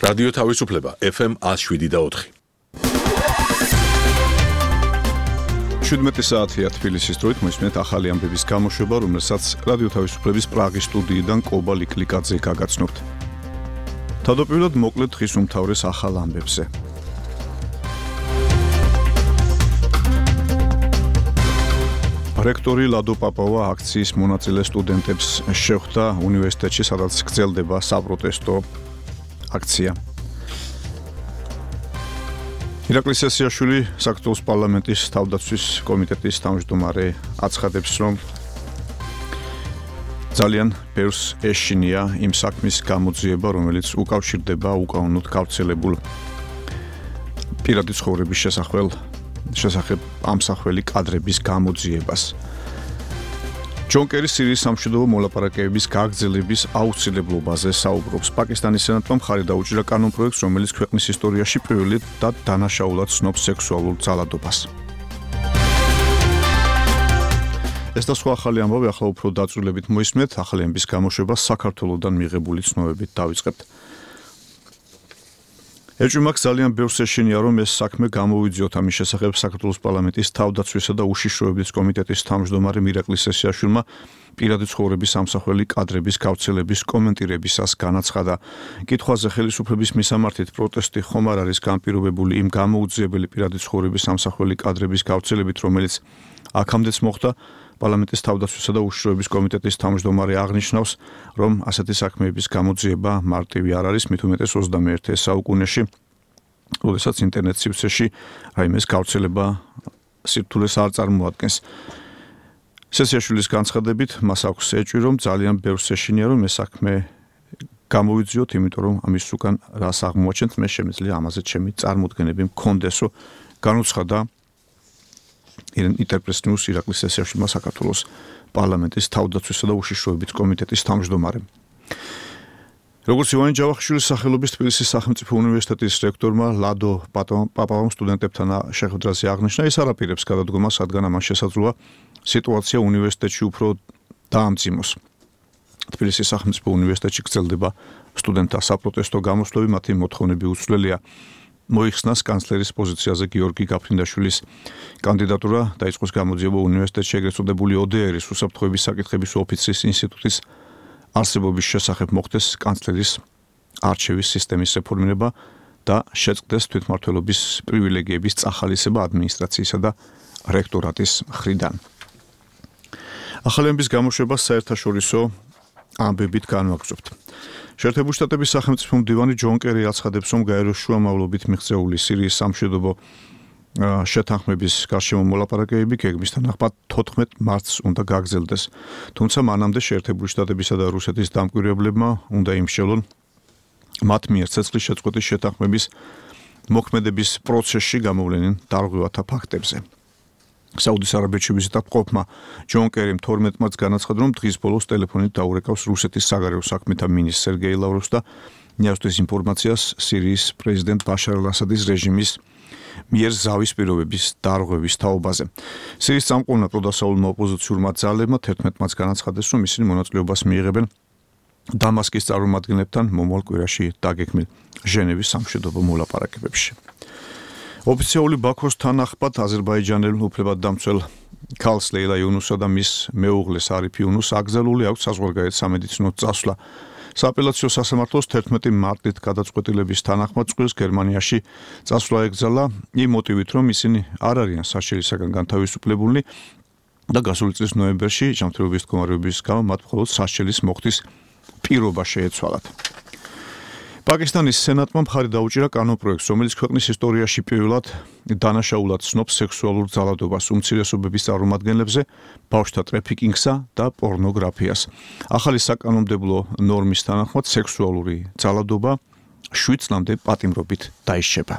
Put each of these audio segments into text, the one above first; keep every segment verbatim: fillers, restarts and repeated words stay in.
რადიო თავისუფლება ეფ ემ one oh seven და four. შვიდმეტი საათია თბილისის დროით მოისმენთ ახალი ამბების გამოშვება, რომელსაც რადიო თავისუფლების პრაღის სტუდიიდან კობა ლიკლიკაძე გაგაცნობთ. თავდაპირველად მოკლედ დღის უმთავრეს ახალ ამბებზე. რექტორი ლადო პაპავა აქციის მონაწილე სტუდენტებს შეხვდა უნივერსიტეტში, სადაც გრძელდება საპროტესტო აქცია. ირაკლი სესიაშვილი, საქართველოს პარლამენტის თავდაცვის კომიტეტის თავმჯდომარე, აცხადებს, რომ ძალიან ბევრს ეშინია იმ საქმის გამოძიება, რომელიც უკავშირდება უკანონოდ გავრცელებულ პირადი ცხოვრების შესახებ შესახებ ამსახველი კადრების გამოძიებას. ჯონ კერი სირიის სამშვიდობო მოლაპარაკებების გაგრძელების აუცილებლობაზე საუბრობს. პაკისტანის სენატმა მხარი დაუჭირა კანონპროექტს, რომელიც ქვეყნის ისტორიაში პირველი და დანაშაულად ცნობს სექსუალურ ძალადობას. ეს და სხვა ახალი ამბავი ახლა უფრო დაწვრილებით მოისმენთ. ახალი ამბის გამოშვება საქართველოსდან მიღებული ცნობებით დავიწყებთ. ეჭვმაქ ძალიან ბევრს ეშინია, რომ ეს საქმე გამოვიძიოთ. ამის შესახებ საქართველოს პარლამენტის თავდაცვისა და უშიშროების კომიტეტის თავმჯდომარე ირაკლი სესიაშვილმა პირადი ცხოვრების ამსახველი კადრების გავრცელების კომენტირებისას განაცხადა. კითხვაზე ხელისუფლების მისამართით პროტესტი ხომ არ არის განპირობებული იმ გამოუძიებელი პირადი ცხოვრების ამსახველი კადრების გავრცელებით, რომელიც აქამდეც მოხდა. პარლამენტის თავდაცვისა და უშიშროების კომიტეტის თავმჯდომარე აღნიშნავს, რომ ასეთი საქმეების გამოძიება მარტივი არ არის, მით უმეტეს ოცდამეერთე საუკუნეში, როდესაც ინტერნეტ სივრცეში რაიმეს გავრცელება სირთულეს არ წარმოადგენს. სესიაშვილის განცხადებით, მას აქვს ეჭვი, რომ ძალიან ბევრს ეშინია, რომ ეს საქმე გამოვიძიოთ, იმიტომ რომ ამის უკან რას აღმოაჩენთ, მე შემიძლია ამაზე ჩემი წარმოდგენები მქონდესო, განუცხადა ინტერპრეს ნიუს ირაკლი სესიაშვილმა საქართველოს პარლამენტის თავდაცვისა და უშიშროების კომიტეტის თავმჯდომარემ. როგორც ივანე ჯავახიშვილის სახელობის თბილისის სახელმწიფო უნივერსიტეტის რექტორმა ლადო პაპავამ სტუდენტებთან შეხვედრაზე აღნიშნა, ის არ აპირებს გადადგომას, რადგან ამან შესაძლოა სიტუაცია უნივერსიტეტში უფრო დაამძიმოს. თბილისის სახელმწიფო უნივერსიტეტში გრძელდება სტუდენტთა საპროტესტო გამოსვლები, მათი მოთხოვნები უცვლელია. მოიხსნას კანცლერის პოზიციაზე გიორგი გაფრინდაშვილის კანდიდატურა, დაიწყოს გამოძიება უნივერსიტეტში ეგრეთ წოდებული ო დე ერის უსაფრთხოების საკითხების ოფიცრის ინსტიტუტის არსებობის შესახებ მოხდეს კანცლერის არჩევის სისტემის რეფორმირება და შეწყდეს თვითმმართველობის პრივილეგიების წახალისება ადმინისტრაციისა და რექტორატის მხრიდან. ახალი ამბის გამოშვებას საერთაშორისო ამბებით განვაგრძობთ. შეერთებული შტატების სახელმწიფო მდივანი ჯონ კერი აცხადებს, რომ გაეროს შუამავლობით მიღწეული სირიის სამშვიდობო შეთანხმების გარშემო მოლაპარაკებები გეგმის თანახმად თოთხმეტ მარტს უნდა გაგრძელდეს. თუმცა მანამდე შეერთებული შტატებისა და რუსეთის დამკვირვებლებმა უნდა იმსჯელონ მათ მიერ ცეცხლის შეწყვეტის შეთანხმების მოქმედების პროცესში გამოვლენილ დარღვევათა ფაქტებზე. საუდის არაბეთში ვიზიტად მყოფმა ჯონ კერიმ თორმეტ მარტს განაცხადა, რომ დღის ბოლოს ტელეფონით დაურეკავს რუსეთის საგარეო საქმეთა მინისტრს სერგეი ლავროვს და მიასწრეს ინფორმაციას სირიის პრეზიდენტ ბაშარ ალ-ასადის რეჟიმის მიერ ზავის პირობების დარღვევის თაობაზე. სირიის წამყვანმა პროდასავლურმა ოპოზიციურმა ძალებმა თერთმეტ მარტს განაცხადეს, რომ ისინი მონაწილეობას მიიღებენ დამასკის წარმომადგენლებთან მომავალ კვირაში დაგეგმილ ჟენევის სამშვიდობო მოლაპარაკებებში. ოფიციალური ბაქოს თანახმად აზერბაიჯანელ უფლებადდამცველ ქალს ლეილა იუნუსსა და მის მეუღლეს არიფ იუნუსს აკრძალული აქვს საზღვარგარეთ სამედიცინო წასვლა. სააპელაციო სასამართლოს თერთმეტი მარტით გადაწყვეტილების თანახმად წყვილს გერმანიაში წასვლა ეკრძალა იმ მოტივით, რომ ისინი არ არიან საშერისაგან განთავისუფლებულნი და გასული წლის ნოემბერში ჯანმრთელობის მდგომარეობის გამო მათ მხოლოდ საშერის მოხდის პირობა შეეცვალათ. პაკისტანის სენატმა მხარი დაუჭირა კანონპროექტს, რომელიც ქვეყნის ისტორიაში პირველად დანაშაულად ცნობს სექსუალურ ძალადობას, უმცირესობების წარმომადგენლებზე, ბავშვთა ტრაფიკინგსა და პორნოგრაფიას. ახალი საკანონმდებლო ნორმის თანახმად სექსუალური ძალადობა შვიდ წლამდე პატიმრობით დაიშჩება.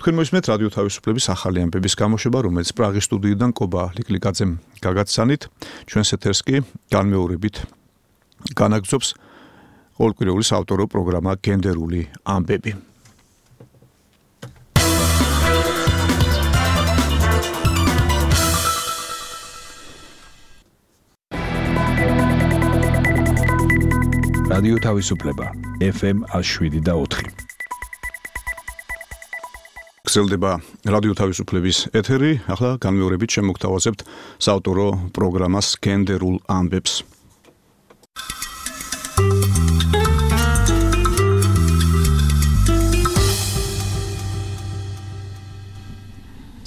თქვენ მოისმენთ რადიო თავისუფლების ახალი ამბების გამოშვება, რომელიც პრაღის სტუდიიდან კობა ლიკლიკაძემ გაგაცანით. ჩვენს ეთერს კი განმეორებით განაგრძობს ყოველკვირეული საავტორო პროგრამა გენდერული ამბები. რადიო თავისუფლება ეფ ემ one oh seven და four. გრძელდება რადიო თავისუფლების ეთერი. ახლა განმეორებით შემოგთავაზებთ საავტორო პროგრამას გენდერულ ამბებს.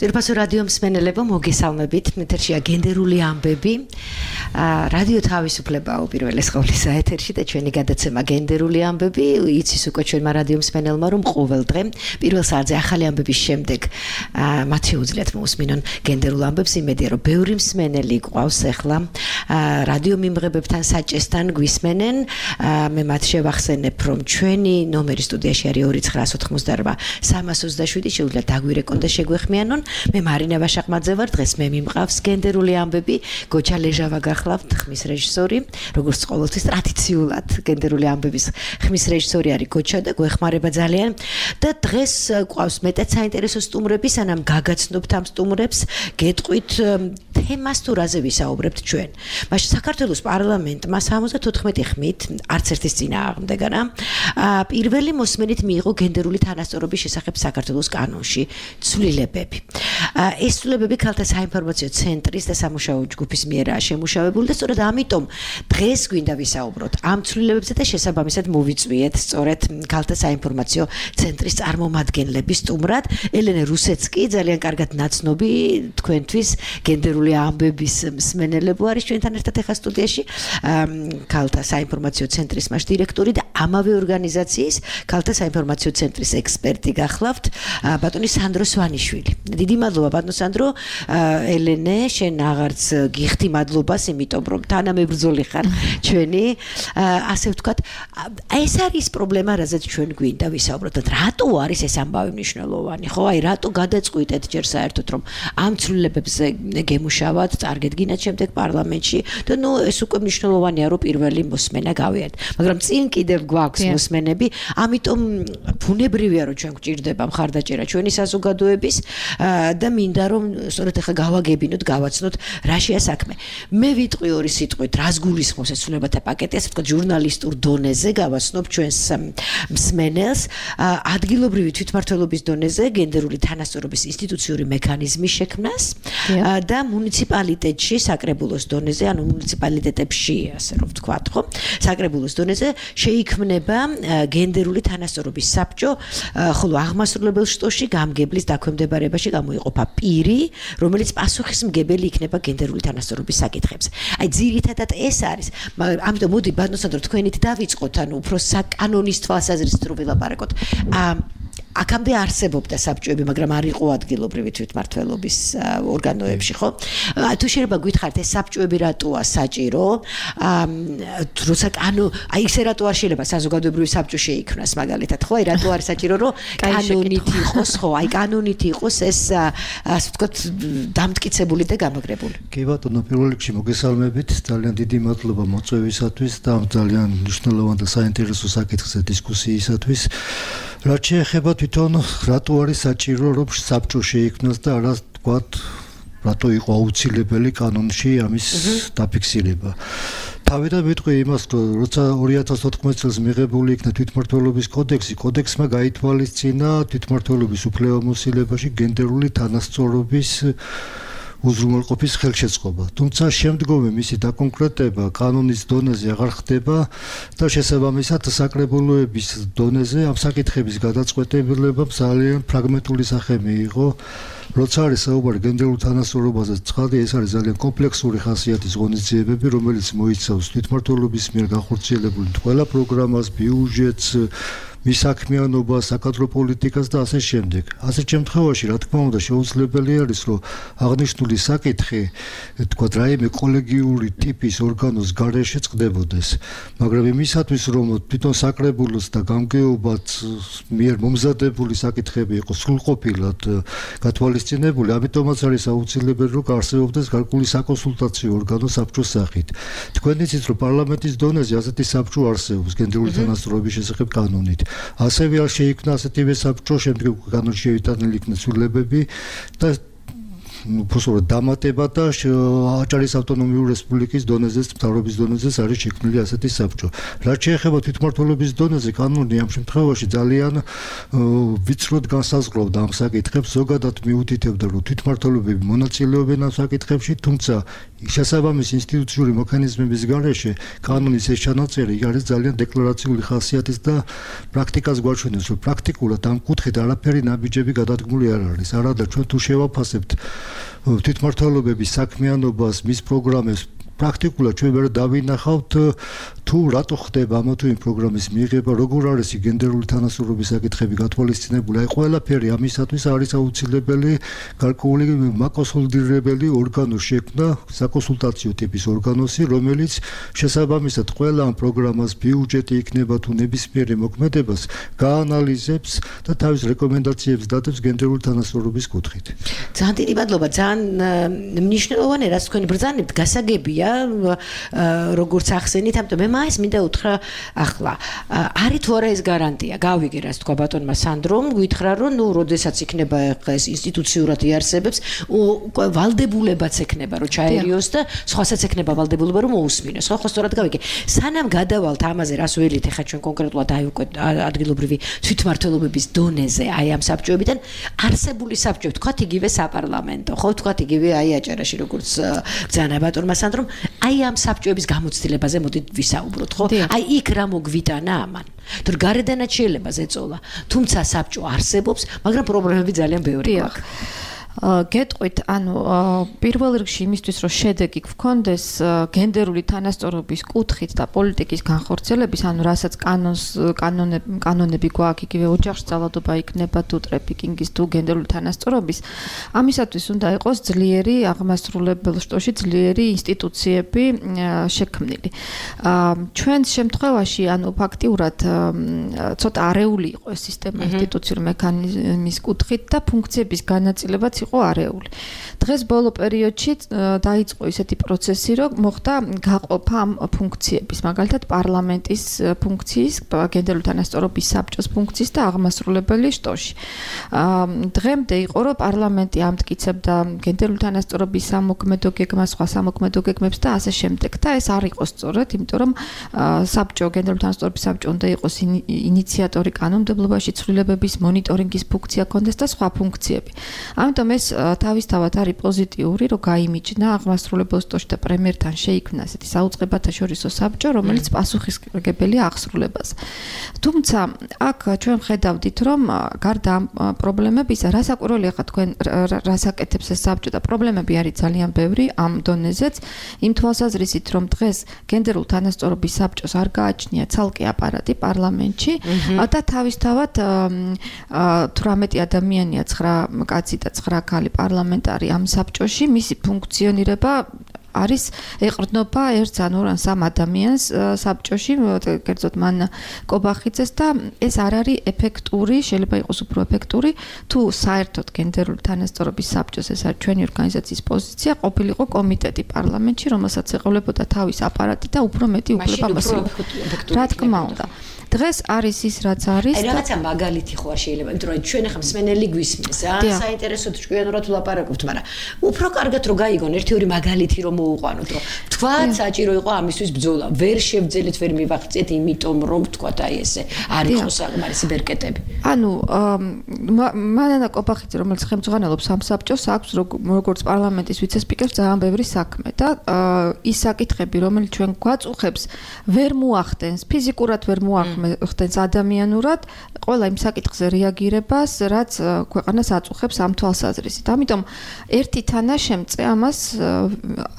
ძირფასო რადიო მსმენელებო, მოგესალმებით. ეთერშია გენდერული ამბები. რადიო თავისუფლება უპირველეს ყოვლისა ეთერში და ჩვენი გადაცემა გენდერული ამბები. იცის უკვე ჩვენმა რადიო მსმენელმა, რომ ყოველ დღე პირველ საათზე ახალი ამბების შემდეგ მათ შეუძლიათ მოусმინონ გენდერულ ამბებს. იმედია, რომ ბევრი მსმენელი გვყავს ახლა რადიო მიმღებებთან საჭესთან გვისმენენ. მე მათ შევახსენებ, რომ ჩვენი ნომერი სტუდიაში არის ორი ცხრა ოთხმოცდარვა სამას ოცდაშვიდი. შეუძლიათ დაგვირეკონ და შეგვეხმიანონ. მე მარინა ვაშაყმაძე ვარ. დღეს მე მიმყავს გენდერული ამბები. გოჩა ლეჟავა გახლავთ, ხმის რეჟისორი. როგორც ყოველთვის ტრადიციულად გენდერული ამბების ხმის რეჟისორი არის გოჩა და გვეხმარება ძალიან. და დღეს გვყავს მეტად საინტერესო სტუმრები, სანამ გაგაცნობთ ამ სტუმრებს, გეტყვით თემას თუ რაზე ვისაუბრებთ ჩვენ. მაშინ საქართველოს პარლამენტმა სამოცდათოთხმეტი ხმით, არც ერთის წინააღმდეგ არა, პირველი მოსმენით მიიღო გენდერული თანასწორობის შესახებ საქართველოს კანონში ცვლილებები. ეს ცვლილებები ქალთა საინფორმაციო ცენტრის და სამუშაო ჯგუფის მიერაა შემუშავებული და სწორედ ამიტომ დღეს გვინდა ვისაუბროთ ამ ცვლილებებზე და შესაბამისად მოვიწვიეთ სწორედ ქალთა საინფორმაციო ცენტრის წარმომადგენლების სტუმრად. ელენე რუსეცკი, ძალიან კარგად ნაცნობი თქვენთვის გენდერული ამბების მსმენელებო არის ჩვენთან ერთად ახლა სტუდიაში. ქალთა საინფორმაციო ცენტრის მას დირექტორი და ამავე ორგანიზაციის ქალთა საინფორმაციო ცენტრის ექსპერტი გახლავთ, ბატონი სანდრო სვანიშვილი. დიდი მადლობა ბატონო სანდრო. ელენე, შენ აღარც გიხდი მადლობას, იმიტომ რომ თანამებრძოლი ხარ ჩვენი. ასე ვთქვათ, ეს არის პრობლემა, რაზეც ჩვენ გვინდა ვისაუბროთ. რატო არის ეს ამბავი მნიშვნელოვანი? ხო, აი რატო გადაწყვიტეთ ჯერ საერთოდ რომ ამ ცვლილებებზე გემუშავოთ, წარგედგინათ შემდეგ პარლამენტში და ნუ ეს უკვე მნიშვნელოვანია, რომ პირველი მოსმენა გავიარეთ. მაგრამ წინ კიდევ გვაქვს მოსმენები, ამიტომ ბუნებრივია, რომ ჩვენ გვჭირდება მხარდაჭერა ჩვენი საზოგადოების და მინდა რომ სწორედ ახლა გავაგებინოთ, გავაცნოთ რა შეა საქმე. მე ვიტყვი ორი სიტყვით, რას გულისხმობს ეს ცვლილებათა პაკეტი, ასე ვთქვათ, ჟურნალისტურ დონეზე გავაცნობ ჩვენს მსმენელს, ადგილობრივი თვითმმართველობის დონეზე გენდერული თანასწორობის ინსტიტუციური მექანიზმის შექმნას და მუნიციპალიტეტში, საკრებულოს დონეზე, ანუ მუნიციპალიტეტებში, ასე რომ ვთქვათ, ხო, საკრებულოს დონეზე შეიქმნება გენდერული თანასწორობის საბჭო, ხოლო აღმასრულებელ შტოში გამგებლის დაქვემდებარებაში გამოიყოფა პირი, რომელიც პასუხისმგებელი იქნება გენდერული თანასწორობის საკითხებზე. აი ძირითადად ეს არის. ამიტომ მოდი ბატონო სანდრო თქვენით დავიწყოთ, ანუ უფრო საკანონის თვალსაზრისით რო ვილაპარაკოთ. აქამდე არსებობდა საბჭოები, მაგრამ არ იყო ადგილობრივი თვითმმართველობის ორგანოებში, ხო? თუ შეიძლება გითხარით, ეს საბჭოები რატოა საჭირო? როცა კანო, აი ესე რატო არ შეიძლება საზოგადოებრივი საბჭო შეიქმნას მაგალითად, ხო? აი რატო არის საჭირო, რომ კანონით იყოს, ხო? აი კანონით იყოს ეს, ასე ვთქვათ, დამტკიცებული და გამაგრებული. კი ბატონო, პირველ რიგში მოგესალმებით, ძალიან დიდი მადლობა მოწვევისათვის და ძალიან მნიშვნელოვან და საინტერესო საკითხზე დისკუსიისათვის. რაც შეეხება თვითონ რატო არის საჭირო რომ საბჭო შეიქმნას და არა თქვათ რატო იყო აუცილებელი კანონში ამის დაფიქსირება. თავიდან ვიტყვი იმას, რომ როცა ორი ათას ოთხმოცი წელს მიღებული იქნა თვითმმართველობის კოდექსი, კოდექსმა გაითვალისწინა თვითმმართველობის უფლებამოსილებაში გენდერული თანასწორობის უზრუნველყოფის ხელშეწყობა. თუმცა შემდგომი მისი დაკონკრეტება კანონის დონეზე აღარ ხდება და შესაბამისად საკრებულოების დონეზე ამ საკითხების გადაწყვეტილებამ ძალიან ფრაგმენტული სახე მიიღო. როცა არის საუბარი გენდერულ თანასწორობაზე, ცხადია ეს არის ძალიან კომპლექსური ხასიათის ღონისძიებები, რომელიც მოიცავს თვითმმართველობის მიერ განხორციელებული ყველა პროგრამას, ბიუჯეტს, მისაქმიანობას, საკადრო პოლიტიკას და ასე შემდეგ. ასეთ შემთხვევაში, რა თქმა უნდა, შეუძლებელი არის, რომ აღნიშნული საკითხი, თქვათ, რაიმე კოლეგიური ტიპის ორგანოს გარეშე წყდებოდეს. მაგრამ იმისათვის, რომ თვითონ საკრებულოს და გამგეობაც მიერ მომზადებული საკითხები იყოს სრულყოფილად გათვალისწინებული, ამიტომაც არის აუცილებელი, რომ არსებობდეს გარკვეული საკონსულტაციო ორგანო საბჭოს სახით. თქვენ იცით, რომ პარლამენტის დონეზე ასეთი საბჭო არსებობს გენდერული თანასწორობის შესახებ კანონით. ასევე არ შეიქმნა ასეთივე საბჭო, შემდეგ კანონში შეიტანილი იქნა ცვლილებები და უფასურად დამატება და აჭარის ავტონომიური რესპუბლიკის დონეზეც, მთავრობის დონეზეც არის შექმნილი ასეთი საბჭო. რაც შეეხება თვითმმართველობის დონეზე, კანონი ამ შემთხვევაში ძალიან ვიწროდ განსაზღვრავდა ამ საკითხებს, ზოგადად მიუთითებდა, რომ თვითმმართველობები მონაწილეობენ ამ საკითხებში, თუმცა შესაბამის ინსტიტუციური მექანიზმების გარეშე კანონის ეს ჩანაწერი არის ძალიან დეკლარაციული ხასიათის და პრაქტიკას გვაჩვენებს, რომ პრაქტიკულად ამ კუთხით არაფერი ნაბიჯები გადადგმული არ არის. არადა ჩვენ თუ შევაფასებთ თვითმმართველობების საქმიანობას, მის პროგრამებს პრაქტიკულად ჩვენ ვერ დავინახავთ თუ რატო ხდება ამა თუ იმ პროგრამის მიღება, როგორ არის გენდერული თანასწორობის საკითხები გათვალისწინებული. აი ყველაფერი ამისათვის არის აუცილებელი გარკვეული მაკონსოლიდირებელი ორგანოს შექმნა, საკონსულტაციო ტიპის ორგანოსი, რომელიც შესაბამისად ყველა ამ პროგრამას ბიუჯეტი იქნება თუ ნებისმიერი მოქმედებას გაანალიზებს და თავის რეკომენდაციებს დადებს გენდერული თანასწორობის კუთხით. ძალიან დიდი მადლობა, ძალიან მნიშვნელოვანი რაც თქვენ ბრძანებთ, გასაგებია როგორც ახსენით, ამიტომ მე მაინც მინდა უთხრა ახლა არის თუ არა ეს გარანტია გავიგე რაც თქვა ბატონმა სანდრომ გითხრა რომ ნუ როდესაც იქნება ეს ინსტიტუციურად იარსებებს ვალდებულებაც ექნება რომ ჩაერიოს და სხვასაც ექნება ვალდებულება რომ მოусმინოს ხო ხო სწორად გავიგე სანამ გადავალთ ამაზე რას ველით ეხა ჩვენ კონკრეტულად აი უკვე ადგილობრივი თვითმმართველობების დონეზე აი ამ საბჭოებიდან არსებული საბჭო თქვათ იგივე საპარლამენტო ხო თქვათ იგივე აი აჭარაში როგორც ბრძანა ბატონმა სანდრომ აი ამ საბჭოების გამოცდილებაზე მოდით ვისაუბროთ ხო აი იქ რა მოგვიტანა ამან თუ გარედანაც შეიძლება ზეწოლა თუმცა საბჭო არსებობს მაგრამ პრობლემები ძალიან ბევრი აქვს გეტყვით ანუ პირველ რიგში იმისთვის რომ შედეგი გქონდეს გენდერული თანასწორობის კუთხით და პოლიტიკის განხორციელების ანუ რასაც კანონს კანონები კანონები გვაქვს იგივე ოჯახში ძალადობა იქნება თუ ტრეფიკინგის თუ გენდერული თანასწორობის ამისათვის უნდა იყოს ძლიერი აღმასრულებელ შტოში ძლიერი ინსტიტუციები შექმნილი ჩვენს შემთხვევაში ანუ ფაქტიურად ცოტა არეული იყო ეს სისტემა ინსტიტუციური მექანიზმის კუთხით და ფუნქციების განაწილებაც იყო არეული. დღეს ბოლო პერიოდში დაიწყო ისეთი პროცესი, რომ მოხდა გაყოფა ამ ფუნქციების, მაგალითად პარლამენტის ფუნქციის, გენდერული თანასწორობის საბჭოს ფუნქციის და აღმასრულებელი შტოში. დღემდე იყო, რომ პარლამენტი ამტკიცებდა გენდერული თანასწორობის სამოქმედო გეგმას, სხვა სამოქმედო გეგმებს და ასე შემდეგ. და ეს არ იყო სწორად, იმიტომ რომ საბჭო გენდერული თანასწორობის საბჭო უნდა იყოს ინიციატორი კანონმდებლობაში, ცვლილებების მონიტორინგის ფუნქცია ჰქონდეს და სხვა ფუნქციები. ამიტომ ეს თავისთავად არის პოზიტიური, რომ გაიმიჯნა აღმასრულებელ შტოში და პრემიერთან შეიქმნა ესეთი საუწყებათა შორისო საბჭო, რომელიც პასუხისმგებელია აღსრულებას. თუმცა აქ ჩვენ ხედავდით, რომ გარდა ამ პრობლემებისა, რასაკვირველია ხა თქვენ რას აკეთებს ეს საბჭო და პრობლემები არის ძალიან ბევრი ამ დონეზეც, იმ თვალსაზრისით, რომ დღეს გენდერულ თანასწორობის საბჭოს არ გააჩნია ცალკე აპარატი პარლამენტში და თავისთავად თვრამეტი ადამიანია ცხრა კაცი და ცხრა ქალი პარლამენტარი ამ საბჭოში მისი ფუნქციონირება არის ეყრდნობა ერთ ან ორ ან სამ ადამიანს საბჭოში, კერძოდ მან კობახიძეს და ეს არ არის ეფექტური, შეიძლება იყოს უფრო ეფექტური, თუ საერთოდ გენდერული თანასწორობის საბჭოს ეს არის ჩვენი ორგანიზაციის პოზიცია, ყოფილიყო კომიტეტი პარლამენტში, რომელსაც ეყოლებოდა თავის აპარატი და უფრო მეტი უფლება მოსწონდა. რა თქმა უნდა. დღეს არის ის რაც არის და რაღაცა მაგალითი ხო არ შეიძლება, იმიტომ რომ ჩვენ ახლა მსმენელი გვისმენს, რა საინტერესოდ ჭკვიანურად ვლაპარაკობთ, მაგრამ უფრო კარგად რომ გაიგონ ერთი ორი მაგალითი რომ მოუყვანოთ, რომ თქვათ საჭირო იყო ამისთვის ბრძოლა, ვერ შევძელით, ვერ მივახციეთ, იმიტომ რომ თქვათ აი ესე არ იყო საკმარისი ბერკეტები. ანუ მანანა კობახიძე, რომელიც ხელმძღვანელობს ამ საბჭოს, აქვს როგორც პარლამენტის ვიცე-სპიკერს ძალიან ბევრი საქმე და ის საკითხები, რომელიც ჩვენ გვაწუხებს, ვერ მოახდენს, ფიზიკურად ვერ მოახდენს ხდენს ადამიანურად ყველა იმ საკითხზე რეაგირებას, რაც ქვეყანას აწუხებს ამ თვალსაზრისით. ამიტომ ერთი თანაშემწე ამას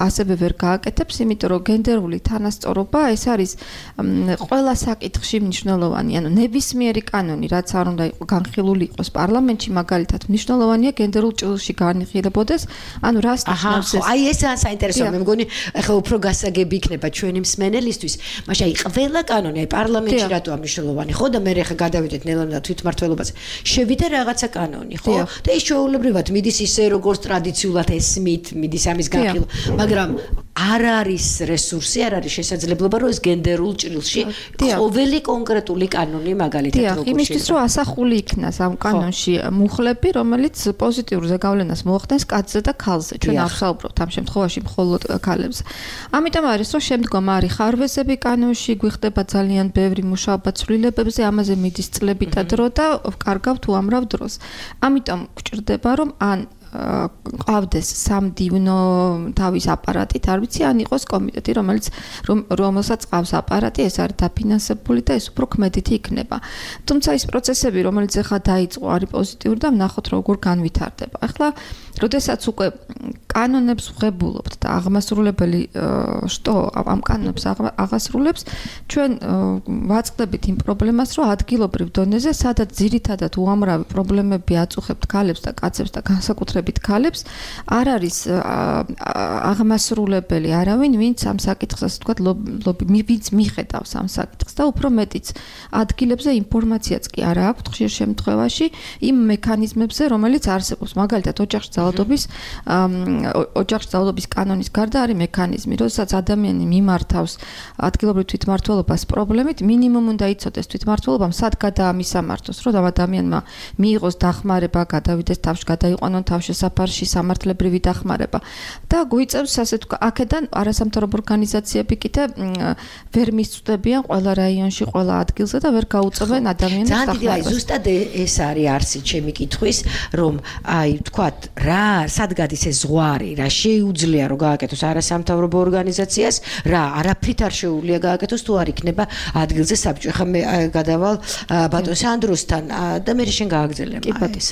ასევე ვერ გააკეთებს, იმიტომ რომ გენდერული თანასწორობა ეს არის ყველა საკითხში მნიშვნელოვანი, ანუ ნებისმიერი კანონი, რაც არ უნდა იყოს განხილული იყოს პარლამენტში, მაგალითად მნიშვნელოვანია გენდერულ ჭრილში განიხილებოდეს, ანუ რას ნიშნავს ეს? აი ეს ძალიან საინტერესოა, მე მგონი ახლა უფრო გასაგები იქნება ჩვენი მსმენელისთვის, მაშინ აი ყველა კანონი, აი პარლამენტში რატო მნიშვნელოვანი ხო და მე ახლა გადავიდეთ ნელ-ნელა თვითმმართველობაზე შევიდა რაღაცა კანონი ხო და ის ჩვეულებრივად მიდის ისე როგორც ტრადიციულად ესმით მიდის ამის განხილვა მაგრამ არ არის რესურსი, არ არის შესაძლებლობა, რომ ეს გენდერულ ჭრილში ყოველი კონკრეტული კანონი მაგალითად როგორ შეიძლება. იმისთვის რომ ასახული იქნას ამ კანონში მუხლები, რომელიც პოზიტიურ ზეგავლენას მოახდენს კაცზე და ქალზე. ჩვენ არ ვსაუბრობთ ამ შემთხვევაში მხოლოდ ქალებზე. ამიტომ არის რომ შემდგომ არის ხარვეზები კანონში, გვიხდება ძალიან ბევრი მუშაობა ცვლილებებზე, ამაზე მიდის წლებითა დრო და კარგავთ უამრავ დროს. ამიტომ გვჭირდება რომ ან ყავდეს სამდივნო თავის აპარატით, არ ვიცი, ან იყოს კომიტეტი, რომელიც რომელსაც ყავს აპარატი, ეს არის დაფინანსებული და ეს უფრო ქმედითი იქნება. თუმცა ის პროცესები, რომელიც ახლა დაიწყო, არის პოზიტიური და ვნახოთ როგორ განვითარდება. ახლა, როდესაც უკვე კანონებს ვღებულობთ და აღმასრულებელი შტო ამ კანონებს აღასრულებს, ჩვენ ვაწყდებით იმ პრობლემას, რომ ადგილობრივ დონეზე, სადაც ძირითადად უამრავი პრობლემები აწუხებთ ქალებს და კაცებს და განსაკუთრებით ქალებს, არ არის აღმასრულებელი არავინ, ვინც ამ საკითხს, ასე ვთქვათ, ვინც მიხედავს ამ საკითხს და უფრო მეტიც ადგილებზე ინფორმაციაც კი არ აქვს ხშირ შემთხვევაში იმ მექანიზმებზე, რომელიც არსებობს. მაგალითად, ოჯახში ძალადობის ოჯახში ძალადობის კანონის გარდა არის მექანიზმი, როდესაც ადამიანი მიმართავს ადგილობრივ თვითმმართველობას პრობლემით, მინიმუმ უნდა იცოდეს თვითმმართველობამ სად გადაამისამართოს, რომ ადამიანმა მიიღოს დახმარება, გადავიდეს თავში, გადაიყვანონ თავშესაფარში სამართლებრივი დახმარება და გვიწევს ასე თქვა, აქედან არასამთავრობო ორგანიზაციები კიდე ვერ მისწვდებიან ყველა რაიონში, ყველა ადგილზე და ვერ გაუწევენ ადამიანებს დახმარებას. ძალიან დიდი, ზუსტად ეს არის არსი ჩემი კითხვის, რომ აი ვთქვათ, რა სად გადის ეს ზღვარი, რა შეუძლია რომ გააკეთოს არასამთავრობო ორგანიზაციას, რა არაფრით არ შეუძლია გააკეთოს თუ არ იქნება ადგილზე საბჭო. ხა მე გადავალ ბატონ სანდროსთან და მე შენ გააგრძელებ ეს.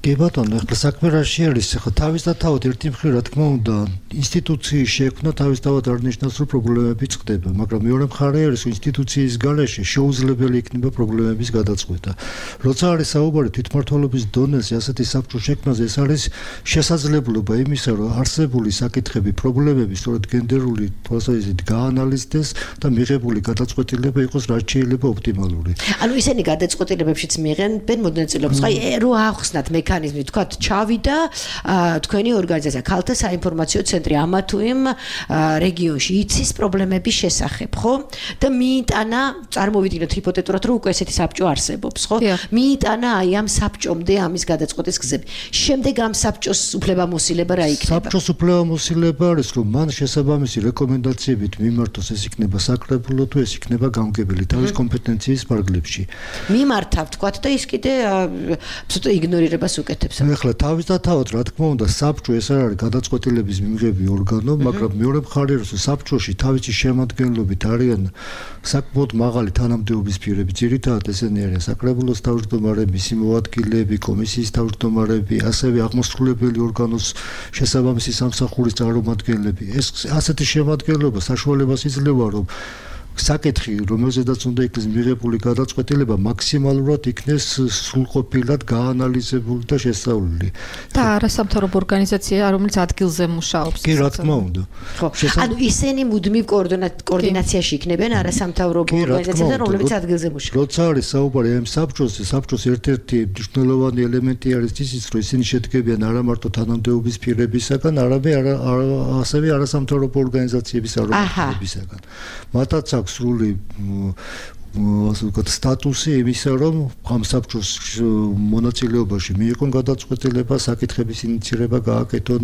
კი ბატონო, ახლა საქმე რა შეარის, ახლა თავისთავად ერთი მხრივ რა თქმა უნდა, ინსტიტუციის შექმნა თავისთავად არ ნიშნავს, რომ პრობლემები წყდება, მაგრამ მეორე მხარე არის, რომ ინსტიტუციის გარეშე შეუძლებელი იქნება პრობლემების გადაწყვეტა. როცა არის საუბარი თვითმმართველობის დონეზე ასეთი საბჭოს შექმნაზე, ეს არის შესაძლებლობა იმისა, რომ არსებული საკითხები, პრობლემები სწორედ გენდერული თვალსაზრისით გაანალიზდეს და მიღებული გადაწყვეტილება იყოს რაც შეიძლება ოპტიმალური. ანუ ისინი გადაწყვეტილებებშიც მიიღებენ მონაწილეობას. აი, რო ახსნათ მექანიზმი, თქვათ, ჩავიდა თქვენი ორგანიზაცია, ქალთა საინფორმაციო ცენტრი ამა თუ იმ რეგიონში იცის პრობლემების შესახებ, ხო? და მიიტანა, წარმოვიდგინოთ ჰიპოთეტურად, რომ უკვე ესეთი საბჭო არსებობს, ხო? მიიტანა აი ამ საბჭომდე ამის გადაწყვეტის გზები. შემდეგ ამ საბჭოს უფლებამოსილება რა იქნება? საბჭოს უფლებამოსილება არის, რომ მან შესაბამისი რეკომენდაციებით მიმართოს, ეს იქნება საკრებულო თუ ეს იქნება გამგებელი თავის კომპეტენციის ფარგლებში. მიმართა, თქვათ, და ის კიდე ცოტა იგნორირებას უკეთებს. ახლა თავისთავად, რა თქმა უნდა, საბჭო ეს არ არის გადაწყვეტილების მიღები ორგანო, მაგრამ მეორე მხარე არის, რომ საბჭოში თავისი შემადგენლობით არიან საკმაოდ მაღალი თანამდებობის პირები, ძირითადად ესენი არიან საკრებულოს თავმჯდომარე, მისი მოადგილეები, კომისიის თავმჯდომარები, ასევე აღმასრულებელი ორგანოს შესაბამისი სამსახურის წარმომადგენლები. ეს ასეთი შემადგენლობა საშუალებას იძლევა, რომ საკითხი, რომელზედაც უნდა იქნეს მიღებული გადაწყვეტილება, მაქსიმალურად იქნეს სრულყოფილად გაანალიზებული და შესწავლილი. და არასამთავრობო ორგანიზაცია, რომელიც ადგილზე მუშაობს. კი, რა თქმა უნდა. ხო, ანუ ისინი მუდმივ კოორდინაციაში იქნებიან არასამთავრობო ორგანიზაციასთან, რომლებიც ადგილზე მუშაობს. როცა არის საუბარი ამ საბჭოზე, საბჭოს ერთ-ერთი მნიშვნელოვანი ელემენტი არის ისიც, რომ ისინი შედგებიან არა მარტო თანამდებობის პირებისაგან, არამედ ასევე არასამთავრობო ორგანიზაციების წარმომადგენლებისაგან. მათაც სრული ასე ვთქვათ სტატუსი იმისა, რომ ამ საბჭოს მონაწილეობაში მიიღონ გადაწყვეტილება, საკითხების ინიცირება გააკეთონ,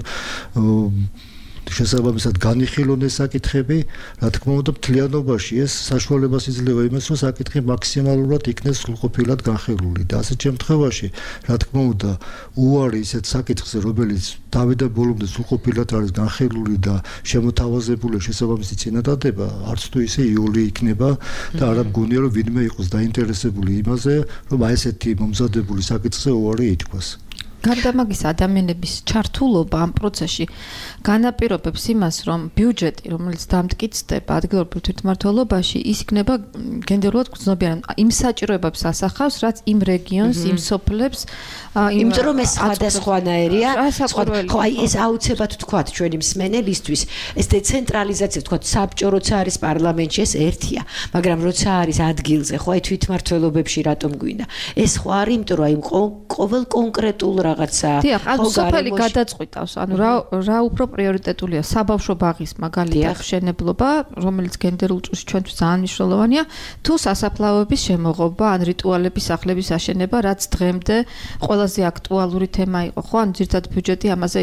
შესაბამისად განიხილონ ეს საკითხები, რა თქმა უნდა, მთლიანობაში ეს საშუალებას იძლევა იმას, რომ საკითხი მაქსიმალურად იქნეს სრულყოფილად განხილული და ასეთ შემთხვევაში, რა თქმა უნდა, უარი ისეთ საკითხზე, რომელიც თავიდან ბოლომდე სრულყოფილად არის განხილული და შემოთავაზებული შესაბამისი წინადადება, არც თუ ისე იოლი იქნება და არა მგონია, რომ ვინმე იყოს დაინტერესებული იმაზე, რომ აი ესეთი მომზადებული საკითხზე უარი ითქვას. გარდა მაგის ადამიანების ჩართულობა ამ პროცესში განაპირობებს იმას, რომ ბიუჯეტი, რომელიც დამტკიცდება ადგილობრივ თვითმმართველობაში, ის იქნება გენდერულად გრძნობიანი. იმ საჭიროებებს ასახავს, რაც იმ რეგიონს, იმ სოფლებს, იმიტომ რომ ეს სხვადასხვანაირია. ხო, აი ეს აუცილებლად თქვათ ჩვენი მსმენელისთვის, ეს დეცენტრალიზაცია, თქვათ, საბჭო როცა არის პარლამენტში, ეს ერთია, მაგრამ როცა არის ადგილზე, ხო, აი თვითმმართველობებში რატომ გვინდა? ეს ხო არის, იმიტომ რომ აი ყოველ კონკრეტულ რაღაცა. დიახ, ანუ სოფელი გადაწყვიტავს, ანუ რა რა უფრო პრიორიტეტულია საბავშვო ბაღის მაგალითად მშენებლობა, რომელიც გენდერულ ჭურში ჩვენთვის ძალიან მნიშვნელოვანია, თუ სასაფლაოების შემოღობა, ან რიტუალების სახლების აშენება, რაც დღემდე ყველაზე აქტუალური თემა იყო, ხო? ან ძირთად ბიუჯეტი ამაზე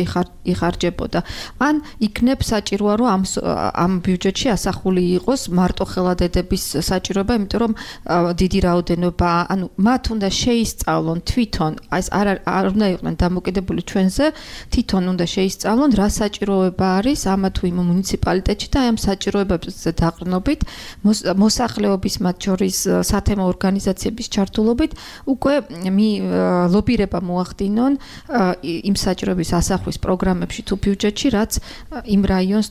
იხარჯებოდა. ან იქნებ საჭიროა, რომ ამ ამ ბიუჯეტში ასახული იყოს მარტო ხელადედების საჭიროება, იმიტომ რომ დიდი რაოდენობა, ანუ მათ უნდა შეისწავლონ თვითონ, ეს არ არ უნდა იყვნენ დამოკიდებული ჩვენზე, თვითონ უნდა შეისწავლონ რა საჭიროება არის ამა თუ იმ მუნიციპალიტეტში და აი ამ საჭიროებებზე დაყრდნობით მოსახლეობის მათ შორის სათემო ორგანიზაციების ჩართულობით უკვე ლობირება მოახდინონ იმ საჭიროების ასახვის პროგრამებში თუ ბიუჯეტში, რაც იმ რაიონს